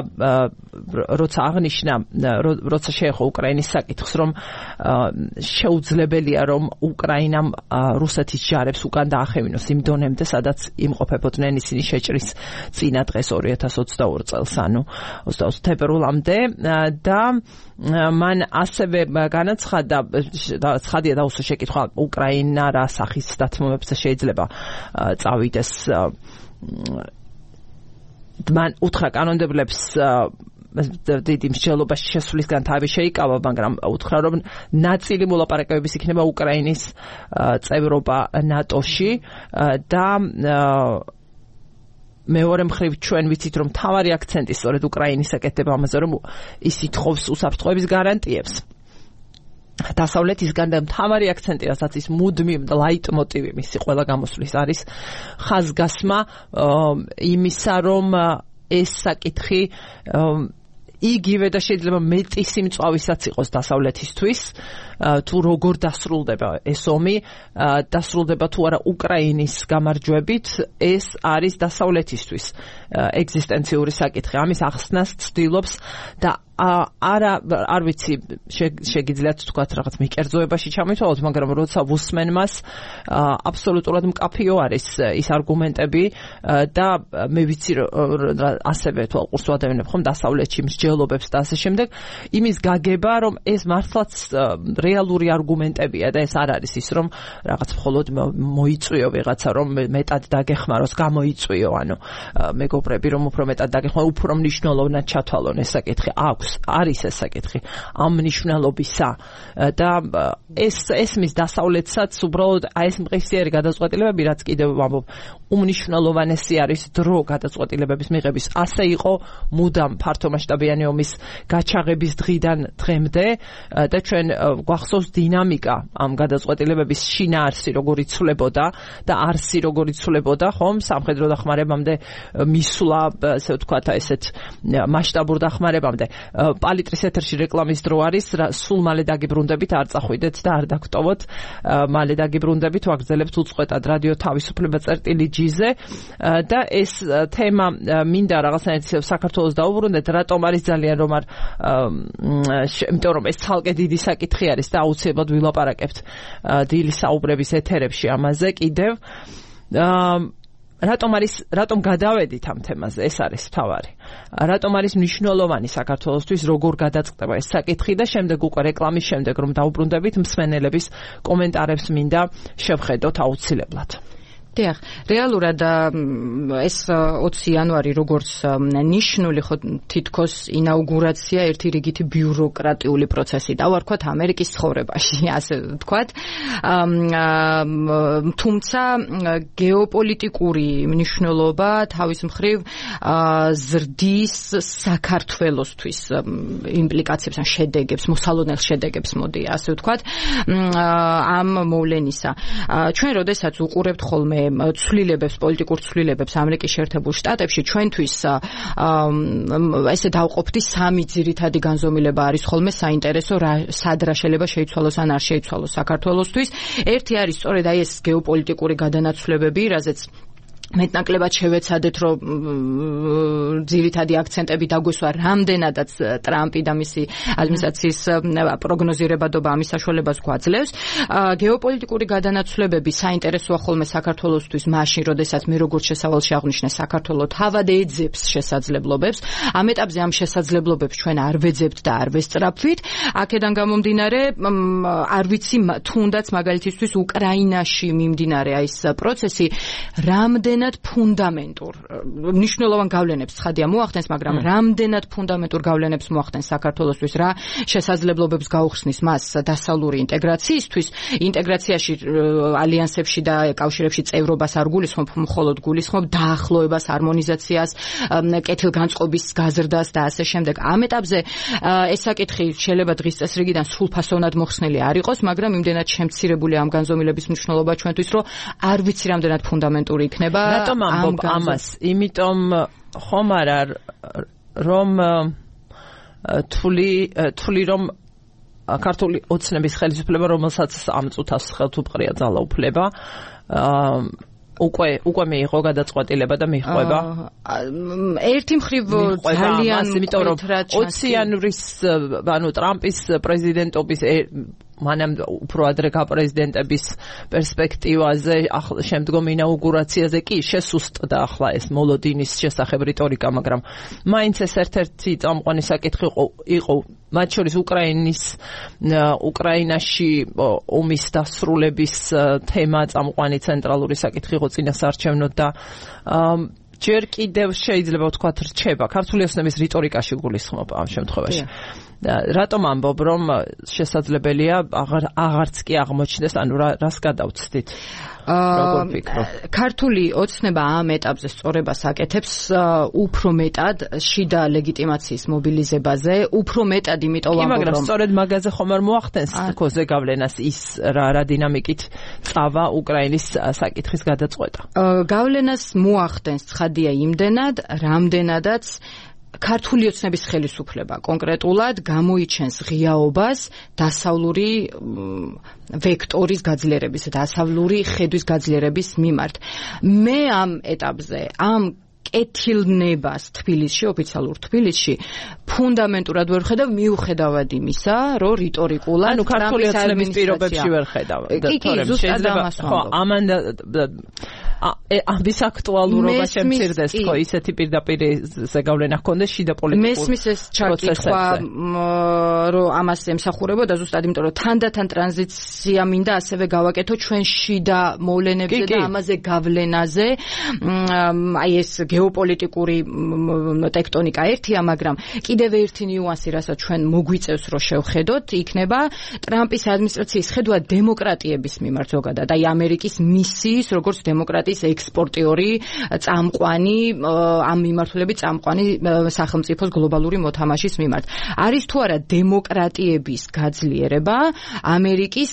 როცა აღნიშნა, როცა შეეხო უკრაინის საკითხს, რომ შეუძლებელია რომ უკრაინამ რუსეთის ჯარებს უკან დაახევინოს იმ დონემდე, სადაც იმყოფებოდნენ ისინი შეჭრის წინა დღეს 2022 წელს, ანუ 22 თებერვლამდე და მან ასევე განაცხადა, ცხადია დაუსვა შეკითხვა, უკრაინა რა სახის დათმობებს შეიძლება წავიდეს. მან უთხრა კანონმდებლებს დიდი მსჯელობაში შესვლისგან თავი შეიკავა, მაგრამ უთხრა, რომ ნაწილი მოლაპარაკებების იქნება უკრაინის წევრობა ნატოში და მეორე მხრივ ჩვენ ვიცით, რომ მთავარი აქცენტი სწორედ უკრაინის აკეთება ამაზე, რომ ის ითხოვს უსაფრთხოების გარანტიებს. დასავლეთისგან და მთავარი აქცენტი, რასაც ის მუდმივ და ლაიტმოტივი მისი ყველა გამოსვლის არის ხაზგასმა იმისა, რომ ეს საკითხი იგივე და შეიძლება მეტი სიმწვავისაც იყოს დასავლეთისთვის, თუ როგორ დასრულდება ეს ომი, დასრულდება თუ არა უკრაინის გამარჯვებით, ეს არის დასავლეთისთვის ეგზისტენციური საკითხი. ამის ახსნას ცდილობს და არ ვიცი, შეგიძლიათ თქვათ რაღაც მიკერძოებაში ჩამოთვალოთ, მაგრამ როცა ვუსმენ მას, აბსოლუტურად მკაფიო არის ის არგუმენტები და მე ვიცი, ასევე თვალყურს ვადევნებ ხომ დასავლეთში მსჯელობებს და ასე შემდეგ, იმის გაგება, რომ ეს მართლაც რეალური არგუმენტებია და ეს არ არის ის, რომ რაღაც მხოლოდ მოიწვიო ვიღაცა, რომ მეტად დაგეხმაროს, გამოიწვიო, ანუ მეგობრები, რომ უფრო მეტად დაგეხმარო, უფრო მნიშვნელოვნად ჩათვალონ ეს საკითხი. არის ეს საკითხი ამ მნიშვნელობისა და ეს მის დასავლეთსაც უბრალოდ აი ეს მყისიერი გადაწყვეტილებები, რაც კიდევ ვამბობ, უმნიშვნელოვანესი არის დრო გადაწყვეტილებების მიღების. ასე იყო მუდამ ფართომასშტაბიანი ომის გაჩაღების დღიდან დღემდე და ჩვენ გვახსოვს დინამიკა ამ გადაწყვეტილებების შინაარსი როგორ იცვლებოდა და არსი როგორ იცვლებოდა, ხომ, სამხედრო დახმარებამდე მისვლა, ასე ვთქვათ, ესეთ მასშტაბურ დახმარებამდე. პალიტრის ეთერში რეკლამის დრო არის, სულ მალე დაგიბრუნდებით, არ წახვიდეთ და არ დაგტოვოთ, მალე დაგიბრუნდებით, ვაგრძელებთ უწყვეტად რადიო თავისუფლება წერტილი-G-ზე და ეს თემა მინდა რაღაცნაირად საქართველოს დაუბრუნდეთ, რატომ არის ძალიან რომ არ, იმიტომ რომ ეს ცალკე დიდი საკითხი არის და აუცილებლად ვილაპარაკებთ დილის საუბრების ეთერებში ამაზე კიდევ. რატომ გადავედით ამ თემაზე, ეს არის მთავარი. რატომ არის მნიშვნელოვანი საქართველოსთვის, როგორ გადაწყდება ეს საკითხი და შემდეგ უკვე რეკლამის შემდეგ რომ დაუბრუნდებით, მსმენელების კომენტარებს მინდა შევხედოთ აუცილებლად. დიახ, რეალურად ეს 20 იანვარი როგორც ნიშნული ხო თითქოს ინაუგურაცია ერთი რიგითი ბიუროკრატიული პროცესი და ვარქვათ ამერიკის ცხოვრებაში, ასე ვთქვათ. თუმცა გეოპოლიტიკური მნიშვნელობა თავის მხრივ ზრდის საქართველოსთვის იმპლიკაციებს ან შედეგებს, მოსალოდნელ შედეგებს მოდი, ასე ვთქვათ, ამ მოვლენისა. ჩვენ როდესაც უყურებთ ხოლმე ცვლილებებს, პოლიტიკურ ცვლილებებს ამერიკის შეერთებულ შტატებში, ჩვენთვის ესე დავყოფდი სამი ძირითადი განზომილება არის ხოლმე საინტერესო, სად რა შეიძლება შეიცვალოს ან არ შეიცვალოს საქართველოსთვის. ერთი არის სწორედ აი ეს გეოპოლიტიკური გადანაცვლებები, რაზეც მეტნაკლებად შევეცადეთ, რომ ძირითადი აქცენტები დაგვესვა, რამდენადაც ტრამპი და მისი ადმინისტრაციის პროგნოზირებადობა ამის საშუალებას გვაძლევს. გეოპოლიტიკური გადანაცვლებები საინტერესოა ხოლმე საქართველოსთვის მაშინ, როდესაც მე როგორც შესავალში აღვნიშნე, საქართველო თავად ეძებს შესაძლებლობებს. ამ ეტაპზე ამ შესაძლებლობებს ჩვენ არ ვეძებთ და არ ვესწრაფვით. აქედან გამომდინარე, არ ვიცი, თუნდაც მაგალითისთვის უკრაინაში მიმდინარე აი ეს პროცესი რამდენად იმდენად ფუნდამენტურ მნიშვნელოვან გავლენებს ცხადია მოახდენს, მაგრამ რამდენად ფუნდამენტურ გავლენებს მოახდენს საქართველოსთვის, რა შესაძლებლობებს გაუხსნის მას დასავლური ინტეგრაციისთვის, ინტეგრაციაში ალიანსებში და კავშირებში წევრობას არ გულისხმობ, მხოლოდ გულისხმობ დაახლოებას, ჰარმონიზაციას, კეთილგანწყობის გაზრდას და ასე შემდეგ. ამ ეტაპზე ეს საკითხი შეიძლება დღის წესრიგიდან სრულფასოვნად მოხსნილი არ იყოს, მაგრამ იმდენად შემცირებული ამ განზომილების მნიშვნელობა ჩვენთვის, რომ არ ვიცი რამდენად ფუნდამენტური იქნება. რატომ ამბობ ამას? იმიტომ ხომ არა რომ თვლი რომ ქართული ოცნების ხელისუფლება, რომელსაც ამ წუთას ხელთუპყრია ძალაუფლება, უკვე მიიღო გადაწყვეტილება და მიხვება. ერთი მხრივ ძალიან იმიტომ რომ 20 იანვრის ტრამპის პრეზიდენტობის მანამ უფრო ადრე გაპრეზიდენტების პერსპექტივაზე, შემდგომ ინაუგურაციაზე კი შესუსტდა ახლა ეს მოლოდინის შესახებ რიტორიკა, მაგრამ მაინც ეს ერთ-ერთი წამყვანი საკითხი იყო, მათ შორის უკრაინაში ომის დასრულების თემა წამყვანი ცენტრალური საკითხი იყო წინასაარჩევნოდ და ჯერ კიდევ შეიძლება ვთქვათ რჩება ქართული ოცნების რიტორიკაში გულისხმობ ამ შემთხვევაში. რატომ ამბობ, რომ შესაძლებელია აღარც კი აღმოჩნდეს, ანუ რას გადავცდით? როგორ ფიქრობ? ქართული ოცნება ამ ეტაპზე სწორებას აკეთებს უფრო მეტად შიდა ლეგიტიმაციის მობილიზებაზე, უფრო მეტად იმიტომ ვამბობ, მაგრამ სწორედ მაგაზე ხომ არ მოახდენს თქოზე გავლენას ის რა დინამიკით წავა უკრაინის საკითხის გადაწყვეტა. გავლენას მოახდენს ცხადია იმდენად, რამდენადაც ქართული ოცნების ხელისუფლება კონკრეტულად გამოიჩენს ღიაობას დასავლური ვექტორის გაძლიერების, დასავლური ხედვის გაძლიერების მიმართ. მე ამ ეტაპზე ამ კეთილნებას თბილისში, ოფიციალურ თბილისში ფუნდამენტურად ვერ ხედავ, მიუხედავად იმისა, რომ რიტორიკულად ანუ ქართული ოცნების პირობებში ვერ ხედავ. ამის აქტუალურობა შემცირდეს, ხო, ისეთი პირდაპირ ზეგავლენა ჰქონდეს შიდა პოლიტიკურ მესმის ეს ჩაკითხვა, რომ ამას ემსახურებოდა ზუსტად იმიტომ, რომ თანდათან ტრანზიცია მინდა ასევე გავაკეთო ჩვენ შიდა მოვლენებზე და ამაზე გავლენაზე, აი ეს გეოპოლიტიკური ტექტონიკა ერთია, მაგრამ კიდევ ერთი ნიუანსი, რასაც ჩვენ მოგვიწევს, რომ შევხედოთ, იქნება ტრამპის ადმინისტრაციის ხედვა დემოკრატიების მიმართ ზოგადად, აი ამერიკის მისიის, როგორც დემოკრატიის ექსპორტიორი, წამყვანი, ამ მიმართულებით წამყვანი სახელმწიფოს გლობალური მოთამაშის მიმართ. არის თუ არა დემოკრატიების გაძლიერება, ამერიკის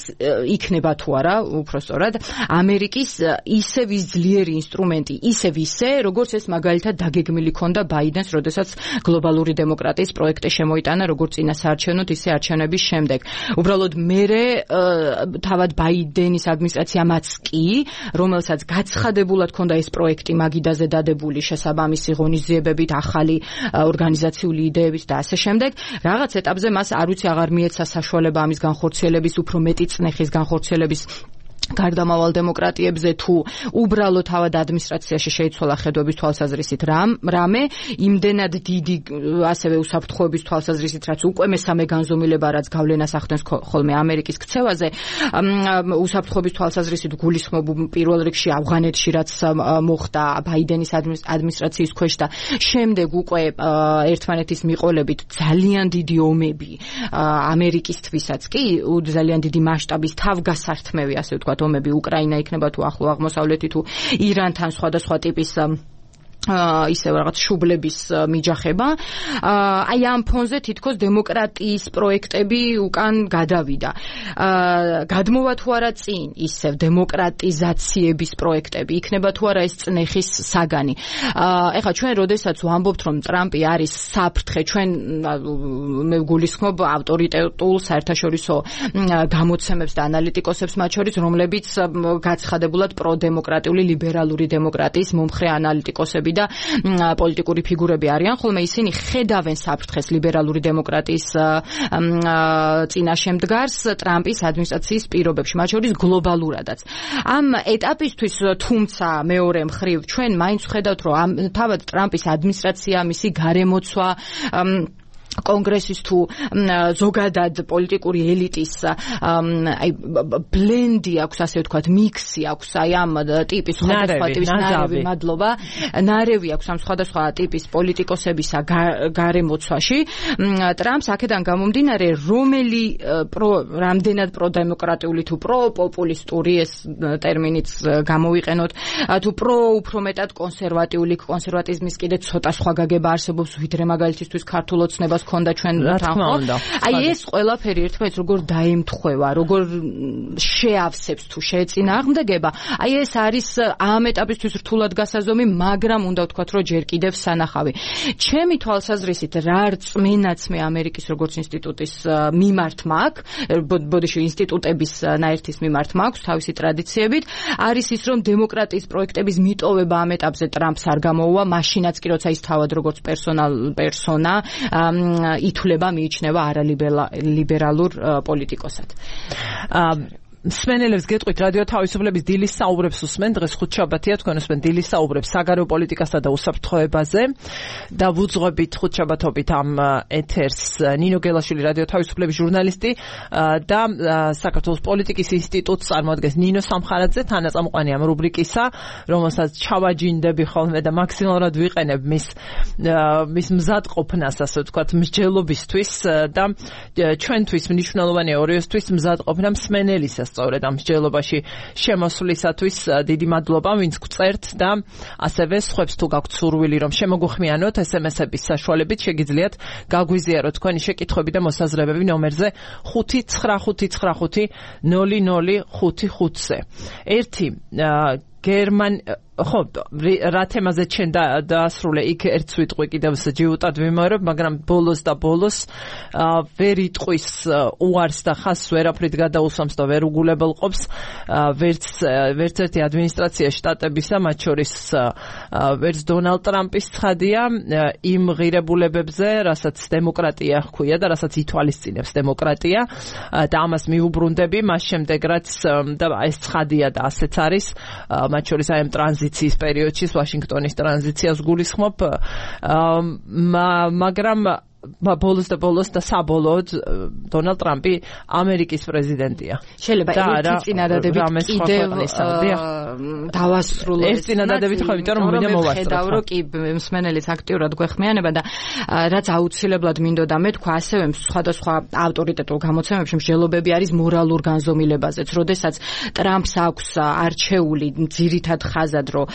იქნება თუ არა, უფრო სწორად, ამერიკის ისევ ძლიერი ინსტრუმენტი, ისევ ისე, როგორც ეს მაგალითად დაგეგმილი ქონდა ბაიდენს, როდესაც გლობალური დემოკრატიის პროექტი შემოიტანა, როგორც წინასაარჩევნოდ, ისე არჩევნების შემდეგ. უბრალოდ მერე თავად ბაიდენის ადმინისტრაციამაც კი, რომელსაც გაცხადებულად ქონდა ეს პროექტი მაგიდაზე დადებული შესაბამისი ღონისძიებებით, ახალი ორგანიზაციული იდეებით და ასე შემდეგ, რაღაც ეტაპზე მას არ ვიცი აღარ მიეცა საშუალება ამის განხორციელების, უფრო მეტი წნეხის განხორციელების გარდამავალ დემოკრატიებზე თუ უბრალოდ თავად ადმინისტრაციაში შეიცვალა ხედვების თვალსაზრისით რამე, იმდენად დიდი ასევე უსაფრთხოების თვალსაზრისით, რაც უკვე მესამე განზომილება, რაც გავლენას ახდენს ხოლმე ამერიკის ქცევაზე, უსაფრთხოების თვალსაზრისით გულისხმობ პირველ რიგში ავღანეთში, რაც მოხდა ბაიდენის ადმინისტრაციის ქვეშ და შემდეგ უკვე ერთმანეთის მიყოლებით ძალიან დიდი ომები ამერიკისთვისაც კი, ძალიან დიდი მასშტაბის თავგასართმევი, ასე ვთქვათ, ომები უკრაინა იქნება თუ ახლო აღმოსავლეთი თუ ირანთან სხვადასხვა ტიპის ისევ რაღაც შუბლების მიჯახება. აი ამ ფონზე თითქოს დემოკრატიის პროექტები უკან გადავიდა. გადმოვა თუ არა წინ ისევ დემოკრატიზაციების პროექტები, იქნება თუ არა ეს წნეხის საგანი. ეხლა ჩვენ როდესაც ვამბობთ, რომ ტრამპი არის საფრთხე, ჩვენ მე გულისხმობ ავტორიტეტულ საერთაშორისო გამოცემებს და ანალიტიკოსებს მათ შორის, რომლებიც გაცხადებულად პროდემოკრატიული ლიბერალური დემოკრატიის მომხრე ანალიტიკოსები და პოლიტიკური ფიგურები არიან, ხოლმე ისინი ხედავენ საფრთხეს ლიბერალური დემოკრატიის წინაშე მდგარს ტრამპის ადმინისტრაციის პირობებში, მათ შორის გლობალურადაც. ამ ეტაპისთვის, თუმცა მეორე მხრივ, ჩვენ მაინც ვხედავთ, რომ თავად ტრამპის ადმინისტრაცია, მისი გარემოცვა კონგრესის თუ ზოგადად პოლიტიკური ელიტის აი ბლენდი აქვს, ასე ვთქვათ, მიქსი აქვს აი ამ ტიპის სხვადასხვა ტიპის ნარევი აქვს ამ სხვადასხვა ტიპის პოლიტიკოსებისა გარემოცვაში. ტრამპს აქედან გამომდინარე, რამდენად პროდემოკრატიული თუ პროპოპულისტური ეს ტერმინიც გამოვიყენოთ, თუ უფრო მეტად კონსერვატიზმის კიდე ცოტა სხვა გაგება არსებობს, ვიდრე მაგალითისთვის ქართულ ოცნებას ჰქონდა ჩვენ თანხმობა. აი ეს ყველაფერი ერთმანეთს როგორ დაემთხვევა, როგორ შეავსებს თუ შეეწინააღმდეგება. აი ეს არის ამ ეტაპისთვის რთულად გასაზომი, მაგრამ უნდა ვთქვათ, რომ ჯერ კიდევ სანახავი. ჩემი თვალსაზრისით რა რწმენაც მე ამერიკის როგორც ინსტიტუტის მიმართ მაქვს, ბოდიში ინსტიტუტების ნაერთის მიმართ მაქვს თავისი ტრადიციებით, არის ის, რომ დემოკრატიის პროექტების მიტოვება ამ ეტაპზე ტრამპს არ გამოუვა, მაშინაც კი როცა ის თავად როგორც პერსონა ითვლება, მიიჩნევა არალიბერალურ პოლიტიკოსად. მსმენელებს გეტყვით, რადიო თავისუფლების დილის საუბრებს უსმენ, დღეს ხუთშაბათია, თქვენ უსმენ დილის საუბრებს საგარეო პოლიტიკასა და უსაფრთხოებაზე და ვუძღვებით ხუთშაბათობით ამ ეთერს ნინო გელაშვილი, რადიო თავისუფლების ჟურნალისტი და საქართველოს პოლიტიკის ინსტიტუტს წარმოადგენს ნინო სამხარაძე, თანაწამყვანი ამ რუბრიკისა, რომელსაც ჩავაჯინდები ხოლმე და მაქსიმალურად ვიყენებ მის მზადყოფნას, ასე ვთქვათ, მსჯელობისთვის და ჩვენთვის მნიშვნელოვანია ორიოსთვის მზადყოფნა მსმენელისა სწორედ ამ მსჯელობაში შემოსვლისათვის. დიდი მადლობა, ვინც გვწერთ და ასევე სხვებს თუ გაქვთ სურვილი, რომ შემოგუხმიანოთ SMS-ების საშუალებით, შეგიძლიათ გაგვიზიაროთ თქვენი შეკითხვები და მოსაზრებები ნომერზე 595500555-ზე. ხო, რა თემაზე ჩვენ დაასრულე, იქ ერთ სიტყვი კიდევ ჯიუტად ვიმეორებ, მაგრამ ბოლოს ვერ იტყვის უარს და ხაზს ვერაფრით გადაუსვამს და ვერ უგულებელყოფს ვერც ერთი ადმინისტრაცია შტატებისა, მათ შორის ვერც დონალდ ტრამპის ცხადია იმ ღირებულებებზე, რასაც დემოკრატია ჰქვია და რასაც ითვალისწინებს დემოკრატია და ამას მიუბრუნდები, მას შემდეგ რაც და ეს ცხადია და ასეც არის, მათ შორის აი ამ ტრანზიციის პერიოდში, ვაშინგტონის ტრანზიციას გულისხმობ, მაგრამ ბოლოს და საბოლოოდ დონალდ ტრამპი ამერიკის პრეზიდენტია. შეიძლება ერთი წინადადებით კიდევ დავასრულო. ეს წინადადებით ხო, იმიტომ რომ მინდა მოვასწრო. რომ კი მსმენელიც აქტიურად გვეხმიანება და რაც აუცილებლად მინდოდა მე თქვა, ასევე სხვადასხვა ავტორიტეტულ გამოცემებში მსჯელობები არის მორალურ განზომილებაზეც. როდესაც ტრამპს აქვს არჩეული ძირითად ხაზად, რომ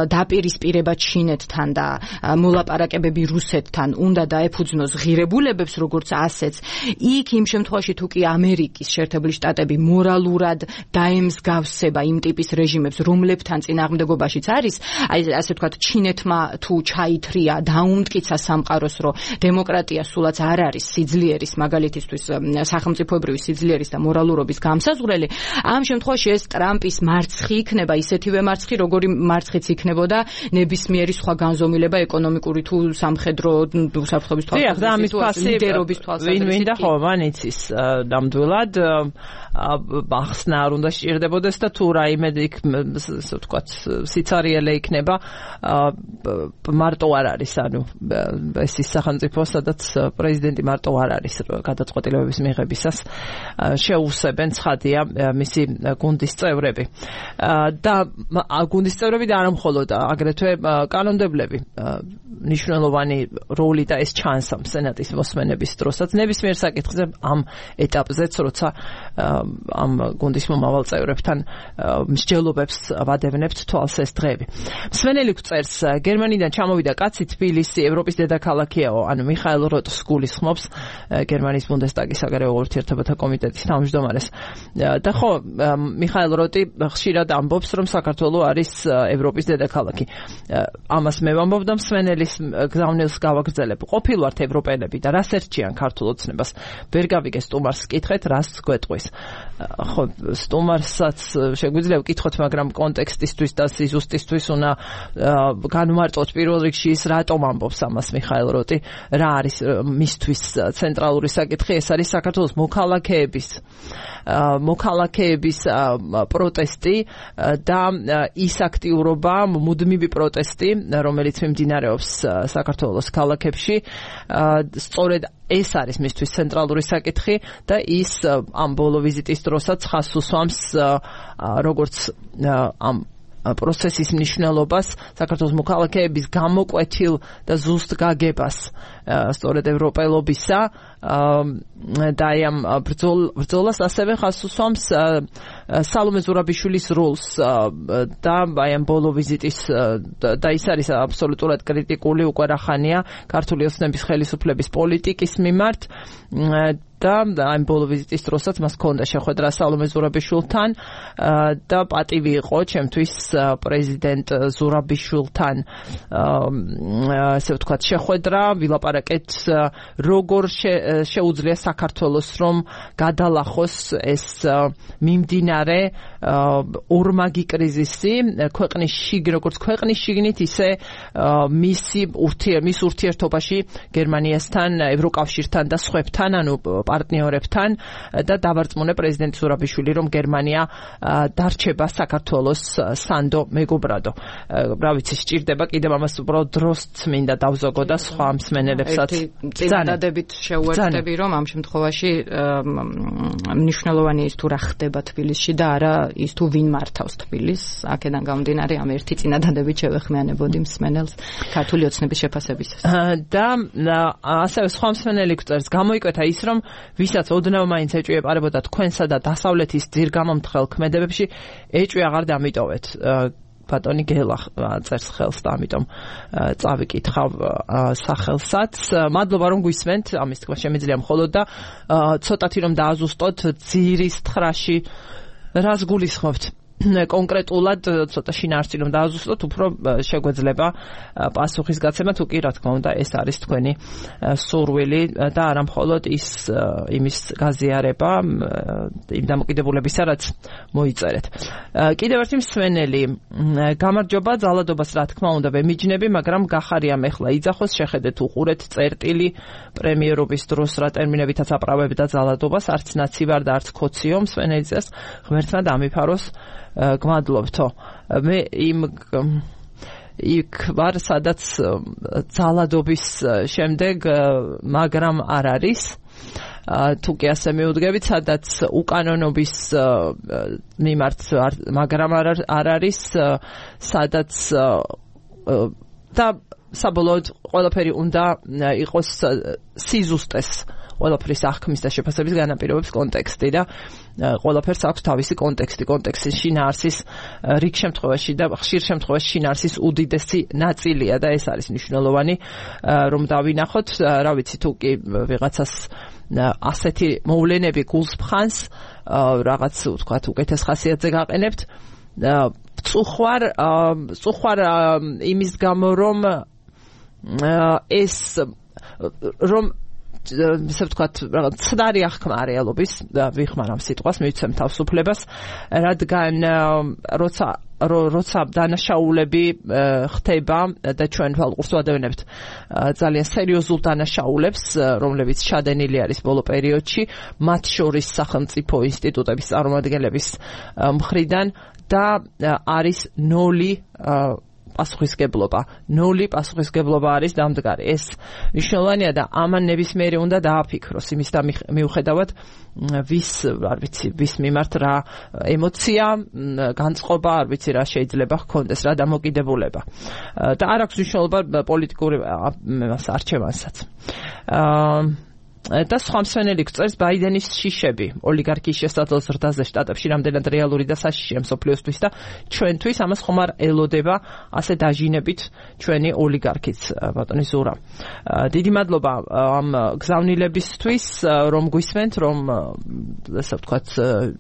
დაპირისპირება ჩინეთთან და მოლაპარაკებები რუსეთთან უნდა დაეფუძნოს ღირებულებებს, როგორც ასეც, იქ იმ შემთხვევაში თუ კი ამერიკის შეერთებული შტატები მორალურად დაემსგავსება იმ ტიპის რეჟიმებს, რომლებთან წინააღმდეგობაშიც არის, აი ასე ვთქვათ, ჩინეთმა თუ ჩაითრია, დაუმტკიცა სამყაროს, რომ დემოკრატია სულაც არ არის სიძლიერის, მაგალითისთვის სახელმწიფოებრივი სიძლიერის და მორალურობის გამსაზღვრელი, ამ შემთხვევაში ეს ტრამპის მარცხი იქნება ისეთივე მარცხი, როგორი მარცხიც იქნებოდა ნებისმიერი სხვა განზომილება ეკონომიკური თუ სამხედრო უსაფრთხოების თვალსაზრისით, ლიდერობის თვალსაზრისით. ვინ და ხო, მანიცის ნამდვილად ახსნა არ უნდა სჭირდებოდეს და თუ რაიმე იქ, ასე ვთქვათ, სიცარიელე იქნება, მარტო არ არის, ანუ ეს ის სახელმწიფო, სადაც პრეზიდენტი მარტო არ არის გადაწყვეტილებების მიღებისას, შეუსებენ, ცხადია, მისი გუნდის წევრები. და გუნდის წევრები და არა მხოლოდ, აგრეთვე კანონმდებლები მნიშვნელოვანი როლი და ეს ჩანს ამ სენატის მოსმენების დროსაც ნებისმიერ საკითხზე ამ ეტაპზეც, როცა ამ გუნდის მომავალ წევრებთან მსჯელობებს ვადევნებთ თვალს ეს დღეები. მსმენელი გვწერს, გერმანიდან ჩამოვიდა კაცი, თბილისი ევროპის დედაქალაქიაო, ანუ მიხაილ როტს გულისხმობს, გერმანიის ბუნდესტაგის საგარეო ურთიერთობათა კომიტეტის თავმჯდომარეს. და ხო, მიხაილ როტი ხშირად ამბობს, რომ საქართველო არის ევროპის დედაქალაქი. ამას მე ვამბობ და მსმენელის გზავნილს გავაგრძელებ. ყოფილვართ ევროპელები და რას ერჩიან ქართულ ოცნებას? ვერ გავიგე სტუმარს კითხეთ, რას გვეტყვის. ხო, სტუმარსაც შეგვიძლია ვკითხოთ, მაგრამ კონტექსტისთვის და სიზუსტისთვის უნდა განმარტოთ პირველ რიგში ის რატომ ამბობს ამას მიხაილ როტი, რა არის მისთვის ცენტრალური საკითხი, ეს არის საქართველოს მოქალაქეების პროტესტი და ის აქტიურობა, მუდმივი პროტესტი, რომელიც მიმდინარეობს საქართველოს ქალაქებში, სწორედ ეს არის მისთვის ცენტრალური საკითხი და ის ამ ბოლო ვიზიტის დროსაც ხაზს უსვამს როგორც ამ პროცესის მნიშვნელობას საქართველოს მოქალაქეების გამოკვეთილ და ზუსტ გაგებას სწორედ ევროპელობისა და ამ ბრძოლას ასევე ხაზს უსვამს სალომე ზურაბიშვილის როლს და ამ ბოლო ვიზიტის და ის არის აბსოლუტურად კრიტიკული უკვე რახანია ქართული ოცნების ხელისუფლების პოლიტიკის მიმართ და ამ ბოლო ვიზიტის დროსაც მას ჰქონდა შეხვედრა სალომე ზურაბიშვილთან და პატივი იყო ჩემთვის პრეზიდენტ ზურაბიშვილთან ასე ვთქვათ შეხვედრა ვილაპარაკეთ როგორ შეუძლია საქართველოს რომ გადალახოს ეს მიმდინარე ორმაგი კრიზისი ქვეყნის როგორც ქვეყნის შიგნით ისე მის ურთიერთობაში გერმანიასთან ევროკავშირთან და სხვებთან ანუ პარტნიორებთან და დავარწმუნე პრეზიდენტ ზურაბიშვილი რომ გერმანია დარჩება საქართველოს სანდო მეგობრადო. რა ვიცი სჭირდება კიდევ ამას უბრალოდ დროც მინდა დავზოგო და სხვა მსმენელებსაც წინადადებით შევუერთდები რომ ამ შემთხვევაში მნიშვნელოვანი ის თუ რა ხდება თბილისში და არა ის თუ ვინ მართავს თბილისს აქედან გამომდინარე ამ ერთი წინადადებით შევეხმიანებოდი მსმენელს ქართული ოცნების შეფასებისას და ასევე სხვა მსმენელი გვწერს გამოიკვეთა ის რომ ვისაც ოდნავ მაინც ეჭვი ეპარებოდა თქვენსა და დასავლეთის ძირგამომთხელ ქმედებებში ეჭვი აღარ დამიტოვეთ ბატონი გელა წერს ხელს და ამიტომ წავიკითხავ სახელსაც მადლობა რომ გვისმენთ ამის თქმა შემიძლია მხოლოდ და ცოტათი რომ დააზუსტოთ ძირის თხრაში რას გულისხმობთ კონკრეტულად ცოტა შინაარსი რომ დააზუსტოთ უფრო შეგვეძლება პასუხის გაცემა თუ კი რა თქმა უნდა ეს არის თქვენი სურვილი და არა მხოლოდ იმის გაზიარება იმ დამოკიდებულებისა რაც მოიწერეთ კიდევ ერთი მსმენელი გამარჯობა ძალადობას რა თქმა უნდა ვემიჯნები მაგრამ გახარია მეხლა იძახოს შეხედეთ უყურეთ წერტილი პრემიერობის დროს რა ტერმინებითაც აპრავებდა ძალადობას არც ნაცი ვარ და არც ქოციო მსმენელიძეს ღმერთმა დამიფაროს გმადლობთო მე იქ ვარ სადაც ძალადობის შემდეგ მაგრამ არ არის თუ კი ასე მიუდგებით სადაც უკანონობის მიმართ მაგრამ არ არის სადაც და საბოლოოდ ყველაფერი უნდა იყოს სიზუსტეს ყველაფრის აღქმის და შეფასების განაპირობებს კონტექსტი და ყველაფერს აქვს თავისი კონტექსტის შინაარსის რიგ შემთხვევაში და ხშირ შემთხვევაში შინაარსის უდიდესი ნაწილია და ეს არის მნიშვნელოვანი რომ დავინახოთ რა ვიცი თუ კი ვიღაცას ასეთი მოვლენები გულს ფხანს რაღაც ვთქვათ უკეთეს ხასიათზე გაყენებთ წუხვარ იმის გამო რომ ეს რომ ისე ვთქვათ რაღაც ცდარი აღქმა რეალობის ვიხმარამ სიტყვას მივცემ თავისუფლებას რადგან როცა დანაშაულები ხდება და ჩვენ თვალყურს ვადევნებთ ძალიან სერიოზულ დანაშაულებს რომლებიც შადენილი არის ბოლო პერიოდში მათ შორის სახელმწიფო ინსტიტუტების წარმომადგენლების მხრიდან და არის ნოლი პასუხისგებლობა არის დამდგარი ეს მნიშვნელოვანია და ამან ნებისმიერი უნდა დააფიქროს იმის და მიუხედავად ვის მიმართ რა ემოცია განწყობა არ ვიცი რა შეიძლება ჰქონდეს რა დამოკიდებულება და არ აქვს მნიშვნელობა პოლიტიკური არჩევანსაც და სხვა მსმენელი გვწერს ბაიდენის შიშები ოლიგარქიის შესაძლო ზრდაზე შტატებში რამდენად რეალური და საშიშია მსოფლიოსთვის და ჩვენთვის ამას ხომ არ ელოდება ასე დაჟინებით ჩვენი ოლიგარქიც ბატონი ზურა დიდი მადლობა ამ გზავნილებისთვის რომ გვისმენთ რომ ასე ვთქვათ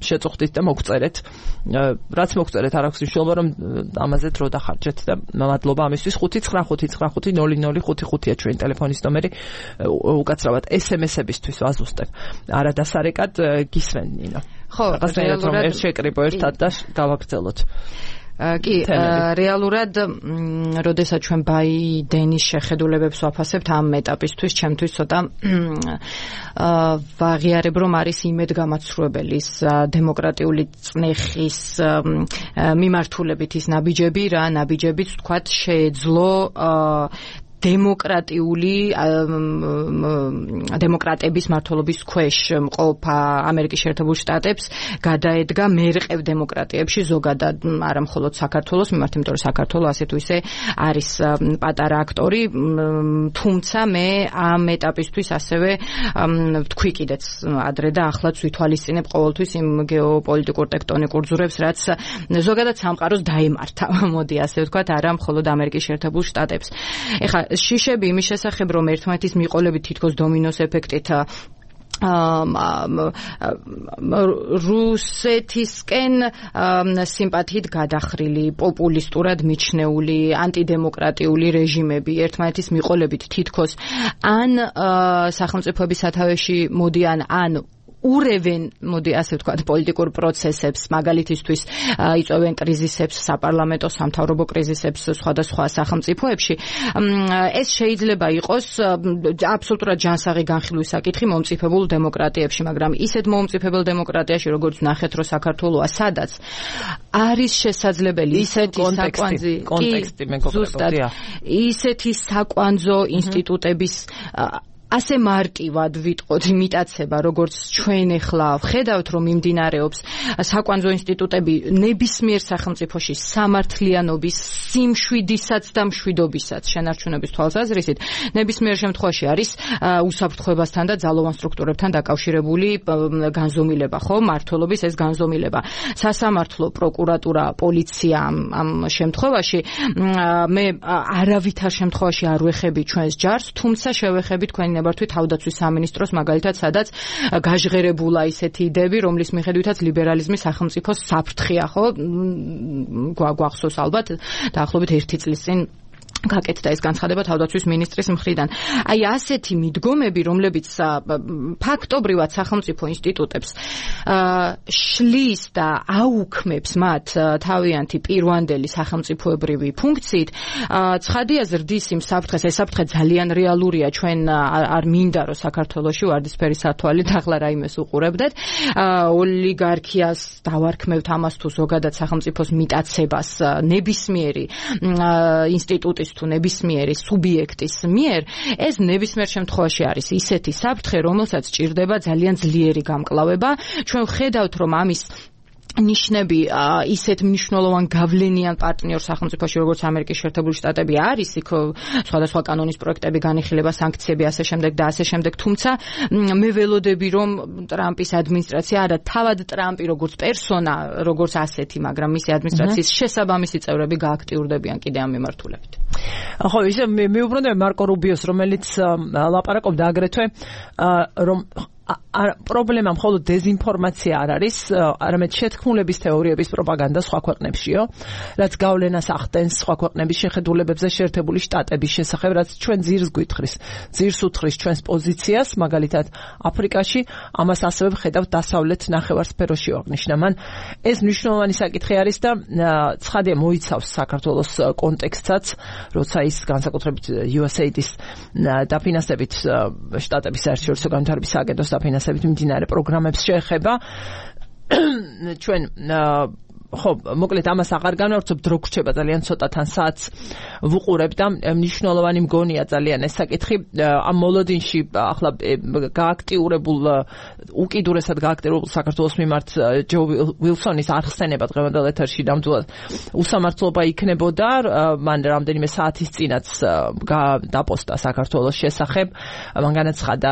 შეწუხდით და მოგწერეთ რაც მოგწერეთ არ აქვს მნიშვნელობა რომ ამაზე დრო დახარჯეთ და მადლობა ამისთვის 599550555-ია ჩვენი ტელეფონის ნომერი უკაცრავად SMS-ებისთვის ვაზუსტებ. არადასარეკად გისმენ ნინო. ხო, რეალურად ერთ შეკრიბო ერთად და გავაგრძელოთ. კი, რეალურად, როდესაც ჩვენ ბაიდენის შეხედულებებს ვაფასებთ ამ ეტაპისთვის, ჩემთვის ცოტა ვაღიარებ, რომ არის იმედგამაცრუებელი დემოკრატიული წნეხის მიმართულებით ის ნაბიჯებიც, ვთქვათ, შეეძლო დემოკრატების მმართველობის ქვეშ მყოფ ამერიკის შეერთებულ შტატებს გადაედგა მერყევ დემოკრატიებში ზოგადად არა მხოლოდ საქართველოს მიმართ, იმიტომ რომ საქართველო ასე თუ ისე არის პატარა აქტორი, თუმცა მე ამ ეტაპისთვის ასევე თქვი კიდეც ადრე და ახლაც ვითვალისწინებ ყოველთვის იმ გეოპოლიტიკურ ტექტონიკურ ძურებს, რაც ზოგადად სამყაროს დაემართა, მოდი ასე ვთქვათ, არა მხოლოდ ამერიკის შეერთებულ შტატებს. ეხლა შიშები იმის შესახებ, რომ ერთმანეთის მიყოლებით თითქოს დომინოს ეფექტით რუსეთისკენ სიმპათიით გადახრილი, პოპულისტურად მიჩნეული, ანტიდემოკრატიული რეჟიმები ერთმანეთის მიყოლებით თითქოს ან სახელმწიფოების სათავეში მოდიან, ან ურევენ, მოდი ასე ვთქვათ, პოლიტიკურ პროცესებს, მაგალითისთვის იწვევენ კრიზისებს, საპარლამენტო სამთავრობო კრიზისებს სხვადასხვა სახელმწიფოებში. ეს შეიძლება იყოს აბსოლუტურად ჯანსაღი განხილვის საკითხი მომწიფებულ დემოკრატიებში, მაგრამ ისეთ მომწიფებელ დემოკრატიაში, როგორც ნახეთ, რომ საქართველოა, სადაც არის შესაძლებელი ისეთი საკვანძო ინსტიტუტების ასე მარტივად ვიტყოდ იმიტაცება, როგორც ჩვენ ახლა ვხედავთ, რომ მიმდინარეობს საკვანძო ინსტიტუტები ნებისმიერ სახელმწიფოში სამართლიანობის, სიმშვიდისაც და მშვიდობისაც შენარჩუნების თვალსაზრისით, ნებისმიერ შემთხვევაში არის უსაფრთხოებასთან და ძალოვან სტრუქტურებთან დაკავშირებული განზომილება, ხო? მმართველობის ეს განზომილება. სასამართლო, პროკურატურა, პოლიცია ამ შემთხვევაში მე არავითარ შემთხვევაში არ ვეხები ჩვენს ჯარს, თუმცა შევეხები თქვენი ნებართვით თავდაცვის სამინისტროს, მაგალითად, სადაც გაჟღერებულა ისეთი იდეები, რომლის მიხედვითაც ლიბერალიზმი სახელმწიფოს საფრთხეა, ხო? გვახსოვს ალბათ დაახლოებით 1 წლის წინ გაკეთდა ეს განცხადება თავდაცვის მინისტრის მხრიდან. აი ასეთი მიდგომები, რომლებიც ფაქტობრივად სახელმწიფო ინსტიტუტებს შლის და აუქმებს მათ თავიანთი პირვანდელი სახელმწიფოებრივი ფუნქციით, ცხადია ზრდის იმ საფრთხეს, ეს საფრთხე ძალიან რეალურია, ჩვენ არ მინდა რომ საქართველოში ვარდისფერი სათვალით ახლა რაიმეს უყურებდეთ, ოლიგარქიას დავარქმევთ ამას თუ ზოგადად სახელმწიფოს მიტაცებას ნებისმიერი ინსტიტუტის თუ ნებისმიერი სუბიექტის მიერ, ეს ნებისმიერ შემთხვევაში არის ისეთი საფრთხე, რომელსაც ჭირდება ძალიან ძლიერი გამკლავება. ჩვენ ვხედავთ, რომ ამის ნიშნები ისეთ მნიშვნელოვან გავლენიან პარტნიორ სახელმწიფოში, როგორც ამერიკის შეერთებული შტატები არის, იქ სხვადასხვა კანონის პროექტები, განიხილება, სანქციები, ასე შემდეგ და ასე შემდეგ. თუმცა მე ველოდები, რომ ტრამპის ადმინისტრაცია, არა თავად ტრამპი როგორც პერსონა, როგორც ასეთი, მაგრამ მისი ადმინისტრაციის შესაბამისი წევრები გააქტიურდებიან კიდე ამ მიმართულებით. ხო, ისე მიუბრუნდები მარკო რუბიოს, რომელიც ლაპარაკობდა აგრეთვე, რომ პრობლემა მხოლოდ დეზინფორმაცია არ არის, არამედ შეთქმულების თეორიების პროპაგანდა სხვა ქვეყნებშიო, რაც გავლენას ახდენს სხვა ქვეყნების შეხედულებებზე შეერთებული შტატების შესახებ, რაც ჩვენ ძირს გვითხრის, ძირს უთხრის ჩვენს პოზიციას, მაგალითად აფრიკაში, ამას ასევე ვხედავთ დასავლეთ ნახევარსფეროში აღნიშნა. მან ეს მნიშვნელოვანი საკითხი არის და ცხადია მოიცავს საქართველოს კონტექსტსაც, როცა ის განსაკუთრებით USAID-ის დაფინანსებით შტატების საერთაშორისო განვითარების სააგენტოს დაფინანსებით მიმდინარე პროგრამებს შეეხება. ჩვენ ხო, მოკლედ ამას აღარ განვავრცობთ, რო გრჩება ძალიან ცოტა თან საათს ვუყურებ და მნიშვნელოვანი მგონია ძალიან ეს საკითხი. ამ მოლოდინში ახლა გააქტიურებულ, უკიდურესად გააქტიურებულ საქართველოს მიმართ ჯო ვილსონის არხსენება დღევანდელ ეთერში ნამდვილად უსამართლობა იქნებოდა. მან რამდენიმე საათის წინაც დაპოსტა საქართველოს შესახებ. მან განაცხადა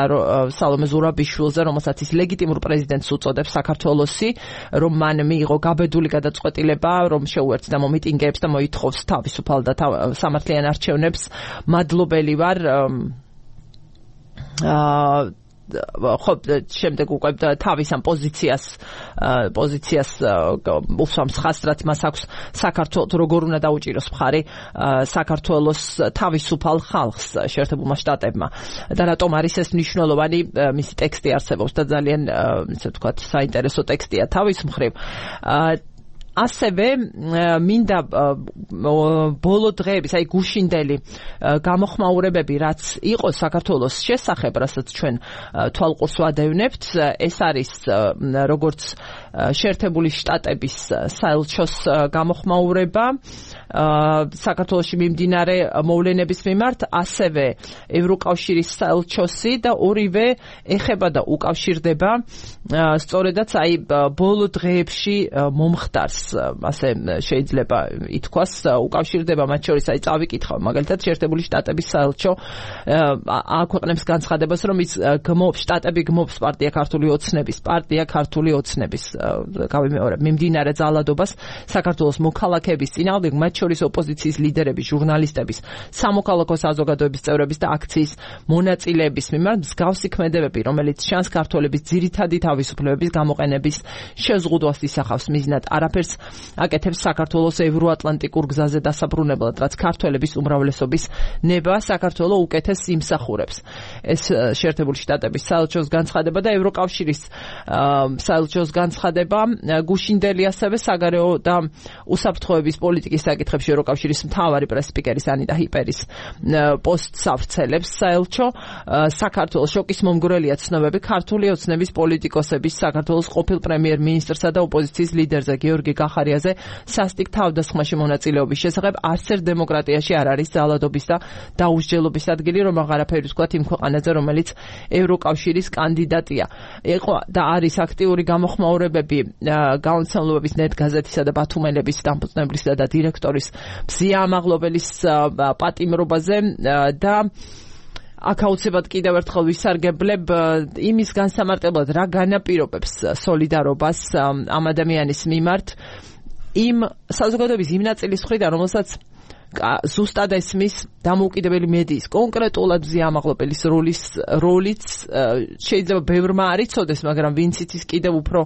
სალომე ზურაბიშვილზე, რომელსაც ის ლეგიტიმურ პრეზიდენტს უწოდებს საქართველოსი, რომ მან მიიღო გაბედული წყვეტილება, რომ შეუერთდა მომიტინგეებს და მოითხოვს თავისუფალ და სამართლიან არჩევნებს. მადლობელი ვარ. ხო, შემდეგ უკვე თავის ამ პოზიციას უსვამს ხასრად მას აქვს საქართველოს როგორ უნდა დაუჭიროს მხარი საქართველოს თავისუფალ ხალხს შეერთებულმა შტატებმა და რატომ არის ეს მნიშვნელოვანი. მისი ტექსტი არსებობს და ძალიან ისე ვთქვათ საინტერესო ტექსტია თავის მხრივ. ასევე მინდა ბოლო დღეების, აი გუშინდელი გამოხმაურებები, რაც იყო საქართველოს შესახებ, რასაც ჩვენ თვალყურს ვადევნებთ, ეს არის როგორც შეერთებული შტატების საელჩოს გამოხმაურება საქართველოში მიმდინარე მოვლენების მიმართ, ასევე ევროკავშირის საელჩოსი და ორივე ეხება და უკავშირდება სწორედაც აი ბოლო დღეებში მომხდარს, ასე შეიძლება ითქვას, უკავშირდება მათ შორის, აი წავიკითხავ მაგალითად შეერთებული შტატების საელჩო აქვეყნებს განცხადებას, რომ ის შტატები გმობს პარტია ქართული ოცნების გავიმეორებ მიმდინარე ძალადობას საქართველოს მოქალაქეების წინააღმდეგ, მათ შორის ოპოზიციის ლიდერების, ჟურნალისტების, სამოქალაქო საზოგადოების წევრების და აქციის მონაწილეების მიმართ მსგავსი ქმედებები, რომელიც შანს ქართველების ძირითადი თავისუფლებების გამოყენების შეზღუდვას ისახავს, მიზნად არაფერს აკეთებს საქართველოს ევროატლანტიკურ გზაზე დასაბრუნებლად, რაც ქართველების უმრავლესობის ნება საქართველოს უკეთეს იმსახურებს. ეს შეერთებული შტატების საელჩოს განცხადება და ევროკავშირის საელჩოს განცხადება გუშინდელი ასევე საგარეო და უსაფრთხოების პოლიტიკის საკითხებში ევროკავშირის მთავარი პრესსპიკერის ანიტა ჰიპერის პოსტს ავრცელებს. საელჩო საქართველოს შოკის მომგვრელია ცნობები ქართული ოცნების პოლიტიკოსების, საქართველოს ყოფილ პრემიერ-მინისტრსა და ოპოზიციის ლიდერზე გიორგი გახარიაზე სასტიკ თავდასხმაში მონაწილეობის შესახებ. არც ერთ დემოკრატიაში არ არის ძალადობის და დაუსჯელობის ადგილი, რომ აღარაფერი ვთქვათ იმ ქვეყანაზე, რომელიც ევროკავშირის კანდიდატია. იყო და არის აქტიური გამოხმაურებები გაუნცემლობების ნეტ გაზეთისა და ბათუმელების დამფუძნებლისა და დირექტორის მზია ამაღლობელის პატიმრობაზე და აქ აუცილებლად კიდევ ერთხელ ვისარგებლებ იმის განსამარტებლად, რა განაპირობებს სოლიდარობას ამ ადამიანის მიმართ იმ საზოგადოების იმ ნაწილის მხრიდან, რომელსაც ზუსტად ესმის დამოუკიდებელი მედიის, კონკრეტულად მზია ამაღლობელის როლიც შეიძლება ბევრმა არ იცოდეს, მაგრამ ვინც იცის კიდევ უფრო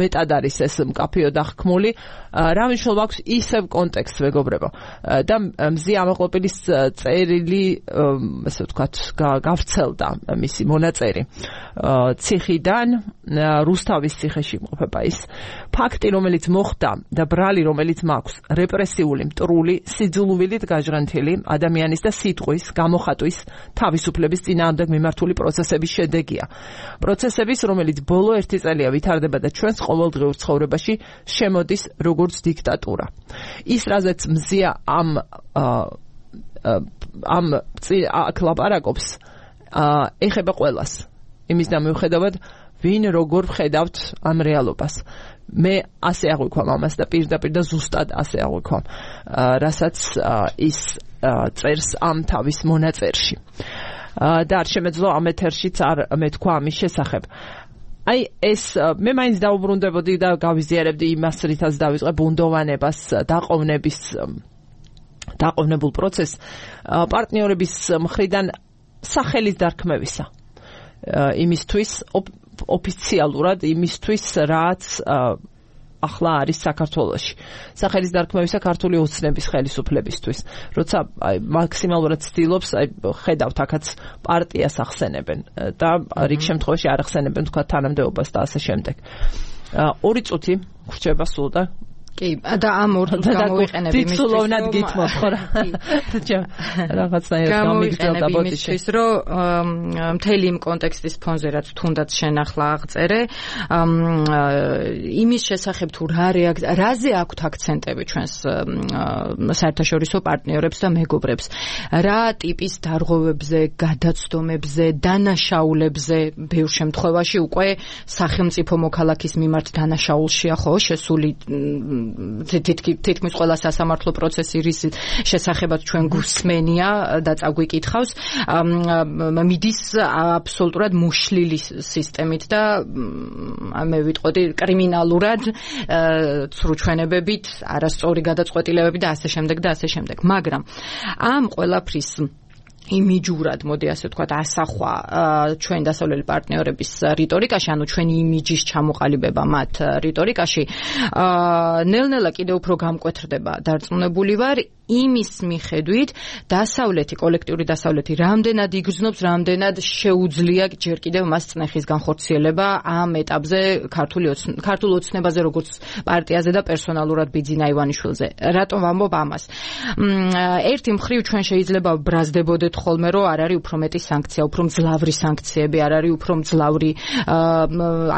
მეტად არის ეს მკაფიო დახქმული. რა მნიშვნელობა აქვს ისევ კონტექსტს, მეგობრებო. და მზია ამაღლობელის წერილი, ასე ვთქვათ, გავრცელდა მისი მონაწერი ციხიდან, რუსთავის ციხეში იმყოფება ის ფაქტი, რომელიც მოხდა და ბრალი, რომელიც მაქვს, რეპრესიული, მტრული, სიძულვილით გაჟღენთილი ადამიანის და სიტყვის, გამოხატვის, თავისუფლების წინააღმდეგ მიმართული პროცესების შედეგია. პროცესების, რომელიც ბოლო 1 წელია ვითარდება და ჩვენს ყოველდღიურ ცხოვრებაში შემოდის როგორც დიქტატურა. ის, რაზეც მზია ამ აქ ლაპარაკობს, ეხება ყველას. იმის და მიუხედავად, ვინ როგორ ვხედავთ ამ რეალობას. მე ასე აღვიქვამ ამას და პირდაპირ და ზუსტად ასე აღვიქვამ, რასაც ის წერს ამ თავის მონაწერში. და არ შემეძლო ამ ეთერშიც არ მეთქვა ამის შესახებ. აი ეს მე მაინც დაუბრუნდებოდი და გავიზიარებდი იმას, რითაც დავიწყე ბუნდოვანებას, დაყოვნებულ პროცესს პარტნიორების მხრიდან სახელის დარქმევისა. იმისთვის ოფიციალურად იმისთვის, რაც ახლა არის საქართველოში. სახელის დარქმევისა ქართული ოცნების ხელისუფლებისთვის. როცა მაქსიმალურად ცდილობს, ხედავთ აქაც პარტიას ახსენებენ და რიგ შემთხვევაში არ ახსენებენ თქვა თანამდებობას და ასე შემდეგ. 2 წუთი გრჩება სულ და კი, და ამ ორ წუთს გამოვიყენებ იმისთვის, რომ გითმოთ, ხო რა. რაღაცნაირად გამიგრძელდა ბოტიში, რომ მთელი იმ კონტექსტის ფონზე, რაც თუნდაც შენ ახლა აღწერე, იმის შესახებ თუ რაზე აქვთ აქცენტები ჩვენს საერთაშორისო პარტნიორებს და მეგობრებს, რა ტიპის დარღვევებზე, გადაცდომებზე, დანაშაულებზე, ბევრ შემთხვევაში უკვე სახელმწიფო მოქალაქის მიმართ დანაშაულშია ხო შესული თითქმის ყველა სასამართლო პროცესი რის შესახებაც ჩვენ გვსმენია და წაგვიკითხავს, მიდის აბსოლუტურად მოშლილი სისტემით და მე ვიტყოდი კრიმინალურად, ცრუჩვენებებით, არასწორი გადაწყვეტილებებით და ასე შემდეგ და ასე შემდეგ. მაგრამ ამ ყველაფრის იმიჯურად, მოდი ასე ვთქვათ, ასახვა ჩვენ დასავლელი პარტნიორების რიტორიკაში, ანუ ჩვენი იმიჯის ჩამოყალიბება მათ რიტორიკაში, ნელ-ნელა კიდევ უფრო გამკვეთრდება. დარწმუნებული ვარ, იმის მიხედვით დასავლეთი, კოლექტიური დასავლეთი რამდენად იგრძნობს, რამდენად შეუძლია ჯერ კიდევ მას წნეხის განხორციელება ამ ეტაპზე ქართულ ოცნებაზე, როგორც პარტიაზე და პერსონალურად ბიძინა ივანიშვილზე. რატომ ვამბობ ამას? ერთი მხრივ ჩვენ შეიძლება ბრაზდებოდეთ ხოლმე, რომ არ არის უფრო მეტი სანქცია, უფრო მძლავრი სანქციები, არ არის უფრო მძლავრი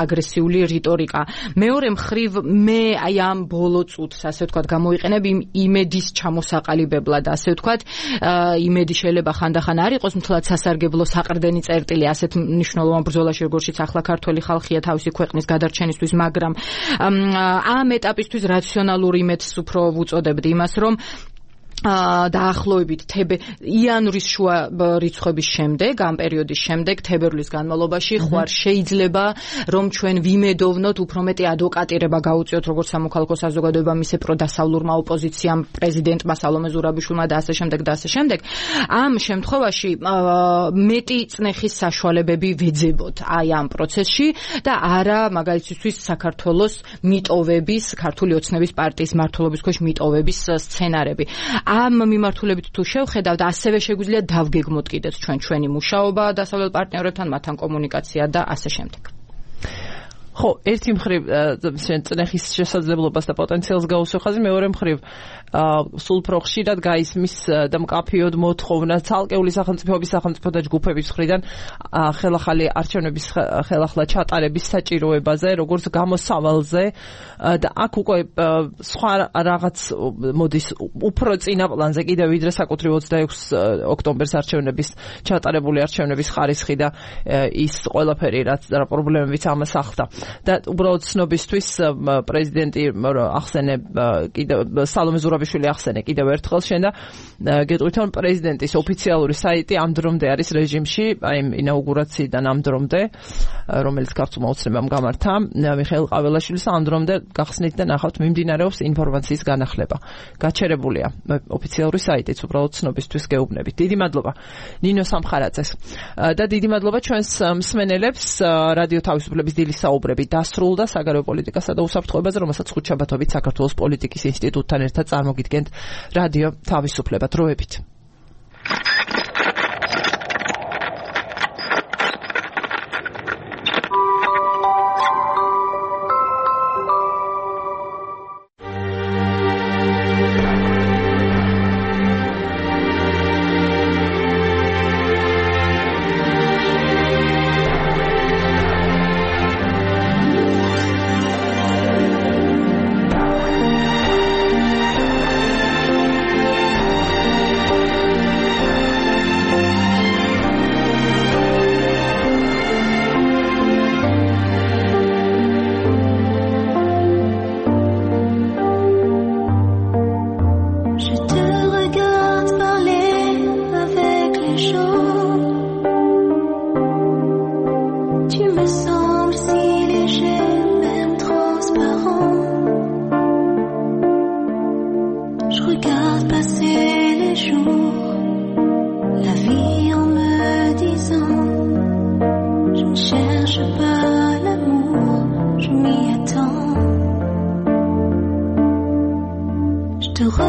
აგრესიული რიტორიკა. მეორე მხრივ მე აი ამ ბოლო წუთს, ასე ვთქვათ, გამოიყენებ იმედის ჩამოსაყალიბებლად, ასე ვთქვათ, იმედი შეიძლება ხანდახან არ იყოს მთლად სასარგებლო საყრდენი წერტილი ასეთ მნიშვნელოვან ბრძოლაში, როგორშიც ახლა ქართველი ხალხია თავისი ქვეყნის გადარჩენისთვის, მაგრამ ამ ეტაპისთვის რაციონალურ იმედს უფრო ვუწოდებდი იმას, რომ დაახლოებით იანვრის შუა რიცხვების შემდეგ, ამ პერიოდის შემდეგ, თებერვლის განმავლობაში ხوار შეიძლება რომ ჩვენ ვიმედოვნოთ უფრო მეტი ადვოკატირება გაუწიოთ როგორც სამოქალაქო საზოგადოებამ, ისე პროდასავლურმა ოპოზიციამ, პრეზიდენტმა სალომე ზურაბიშვილმა და ასე შემდეგ და ასე შემდეგ. ამ შემთხვევაში მეტი წნეხის საშუალებები ვეძებოთ აი ამ პროცესში და არა მაგალითისთვის საქართველოს მიტოვების, ქართული ოცნების პარტიის მმართველობის ქვეშ მიტოვების სცენარები. ამ მიმართულებით თუ შევხედავთ, ასევე შეგვიძლია დავგეგმოთ კიდეც ჩვენი მუშაობა დასავლელ პარტნიორებთან, მათთან კომუნიკაცია და ასე შემდეგ. ხო, ერთი მხრივ წნეხის შესაძლებლობას და პოტენციალს გაუსვევ ხაზი, მეორე მხრივ სულ უფრო ხშირად გაისმის და მკაფიოდ მოთხოვნა ცალკეული სახელმწიფოების სახელმწიფო და ჯგუფების მხრიდან ხელახალი არჩევნების ხელახლა ჩატარების საჭიროებაზე, როგორც გამოსავალზე და აქ უკვე სხვა რაღაც მოდის უფრო წინა პლანზე კიდევ ვიდრე საკუთრივ 26 ოქტომბერს არჩევნების ჩატარებული არჩევნების ხარისხი და ის ყველაფერი რაც პრობლემებიც ამას ახლდა. და უბრალოდ ცნობისთვის პრეზიდენტი ახსენე კიდევ სალომე ზურაბიშვილი ახსენე კიდევ ერთხელ შენ და გეტყვით რომ პრეზიდენტის ოფიციალური საიტი ამ დრომდე არის რეჟიმში, აი ინაუგურაციიდან ამ დრომდე, რომელიც ქართულმა ოცნებამ გამართა მიხეილ ყაველაშვილის, ამ დრომდე გახსნით და ნახავთ მიმდინარეობს ინფორმაციის განახლება. გაჩერებულია ოფიციალური საიტიც, უბრალოდ ცნობისთვის გეუბნებით. დიდი მადლობა ნინო სამხარაძეს და დიდი მადლობა ჩვენს მსმენელებს. რადიო თავისუფლების დილის საუბრები დასრულდა საგარეო პოლიტიკასა და უსაფრთხოებაზე, რომელსაც ხუთშაბათობით საქართველოს პოლიტიკის ინსტიტუტთან ერთად წარმოგიდგენთ რადიო თავისუფლება. დროებით. te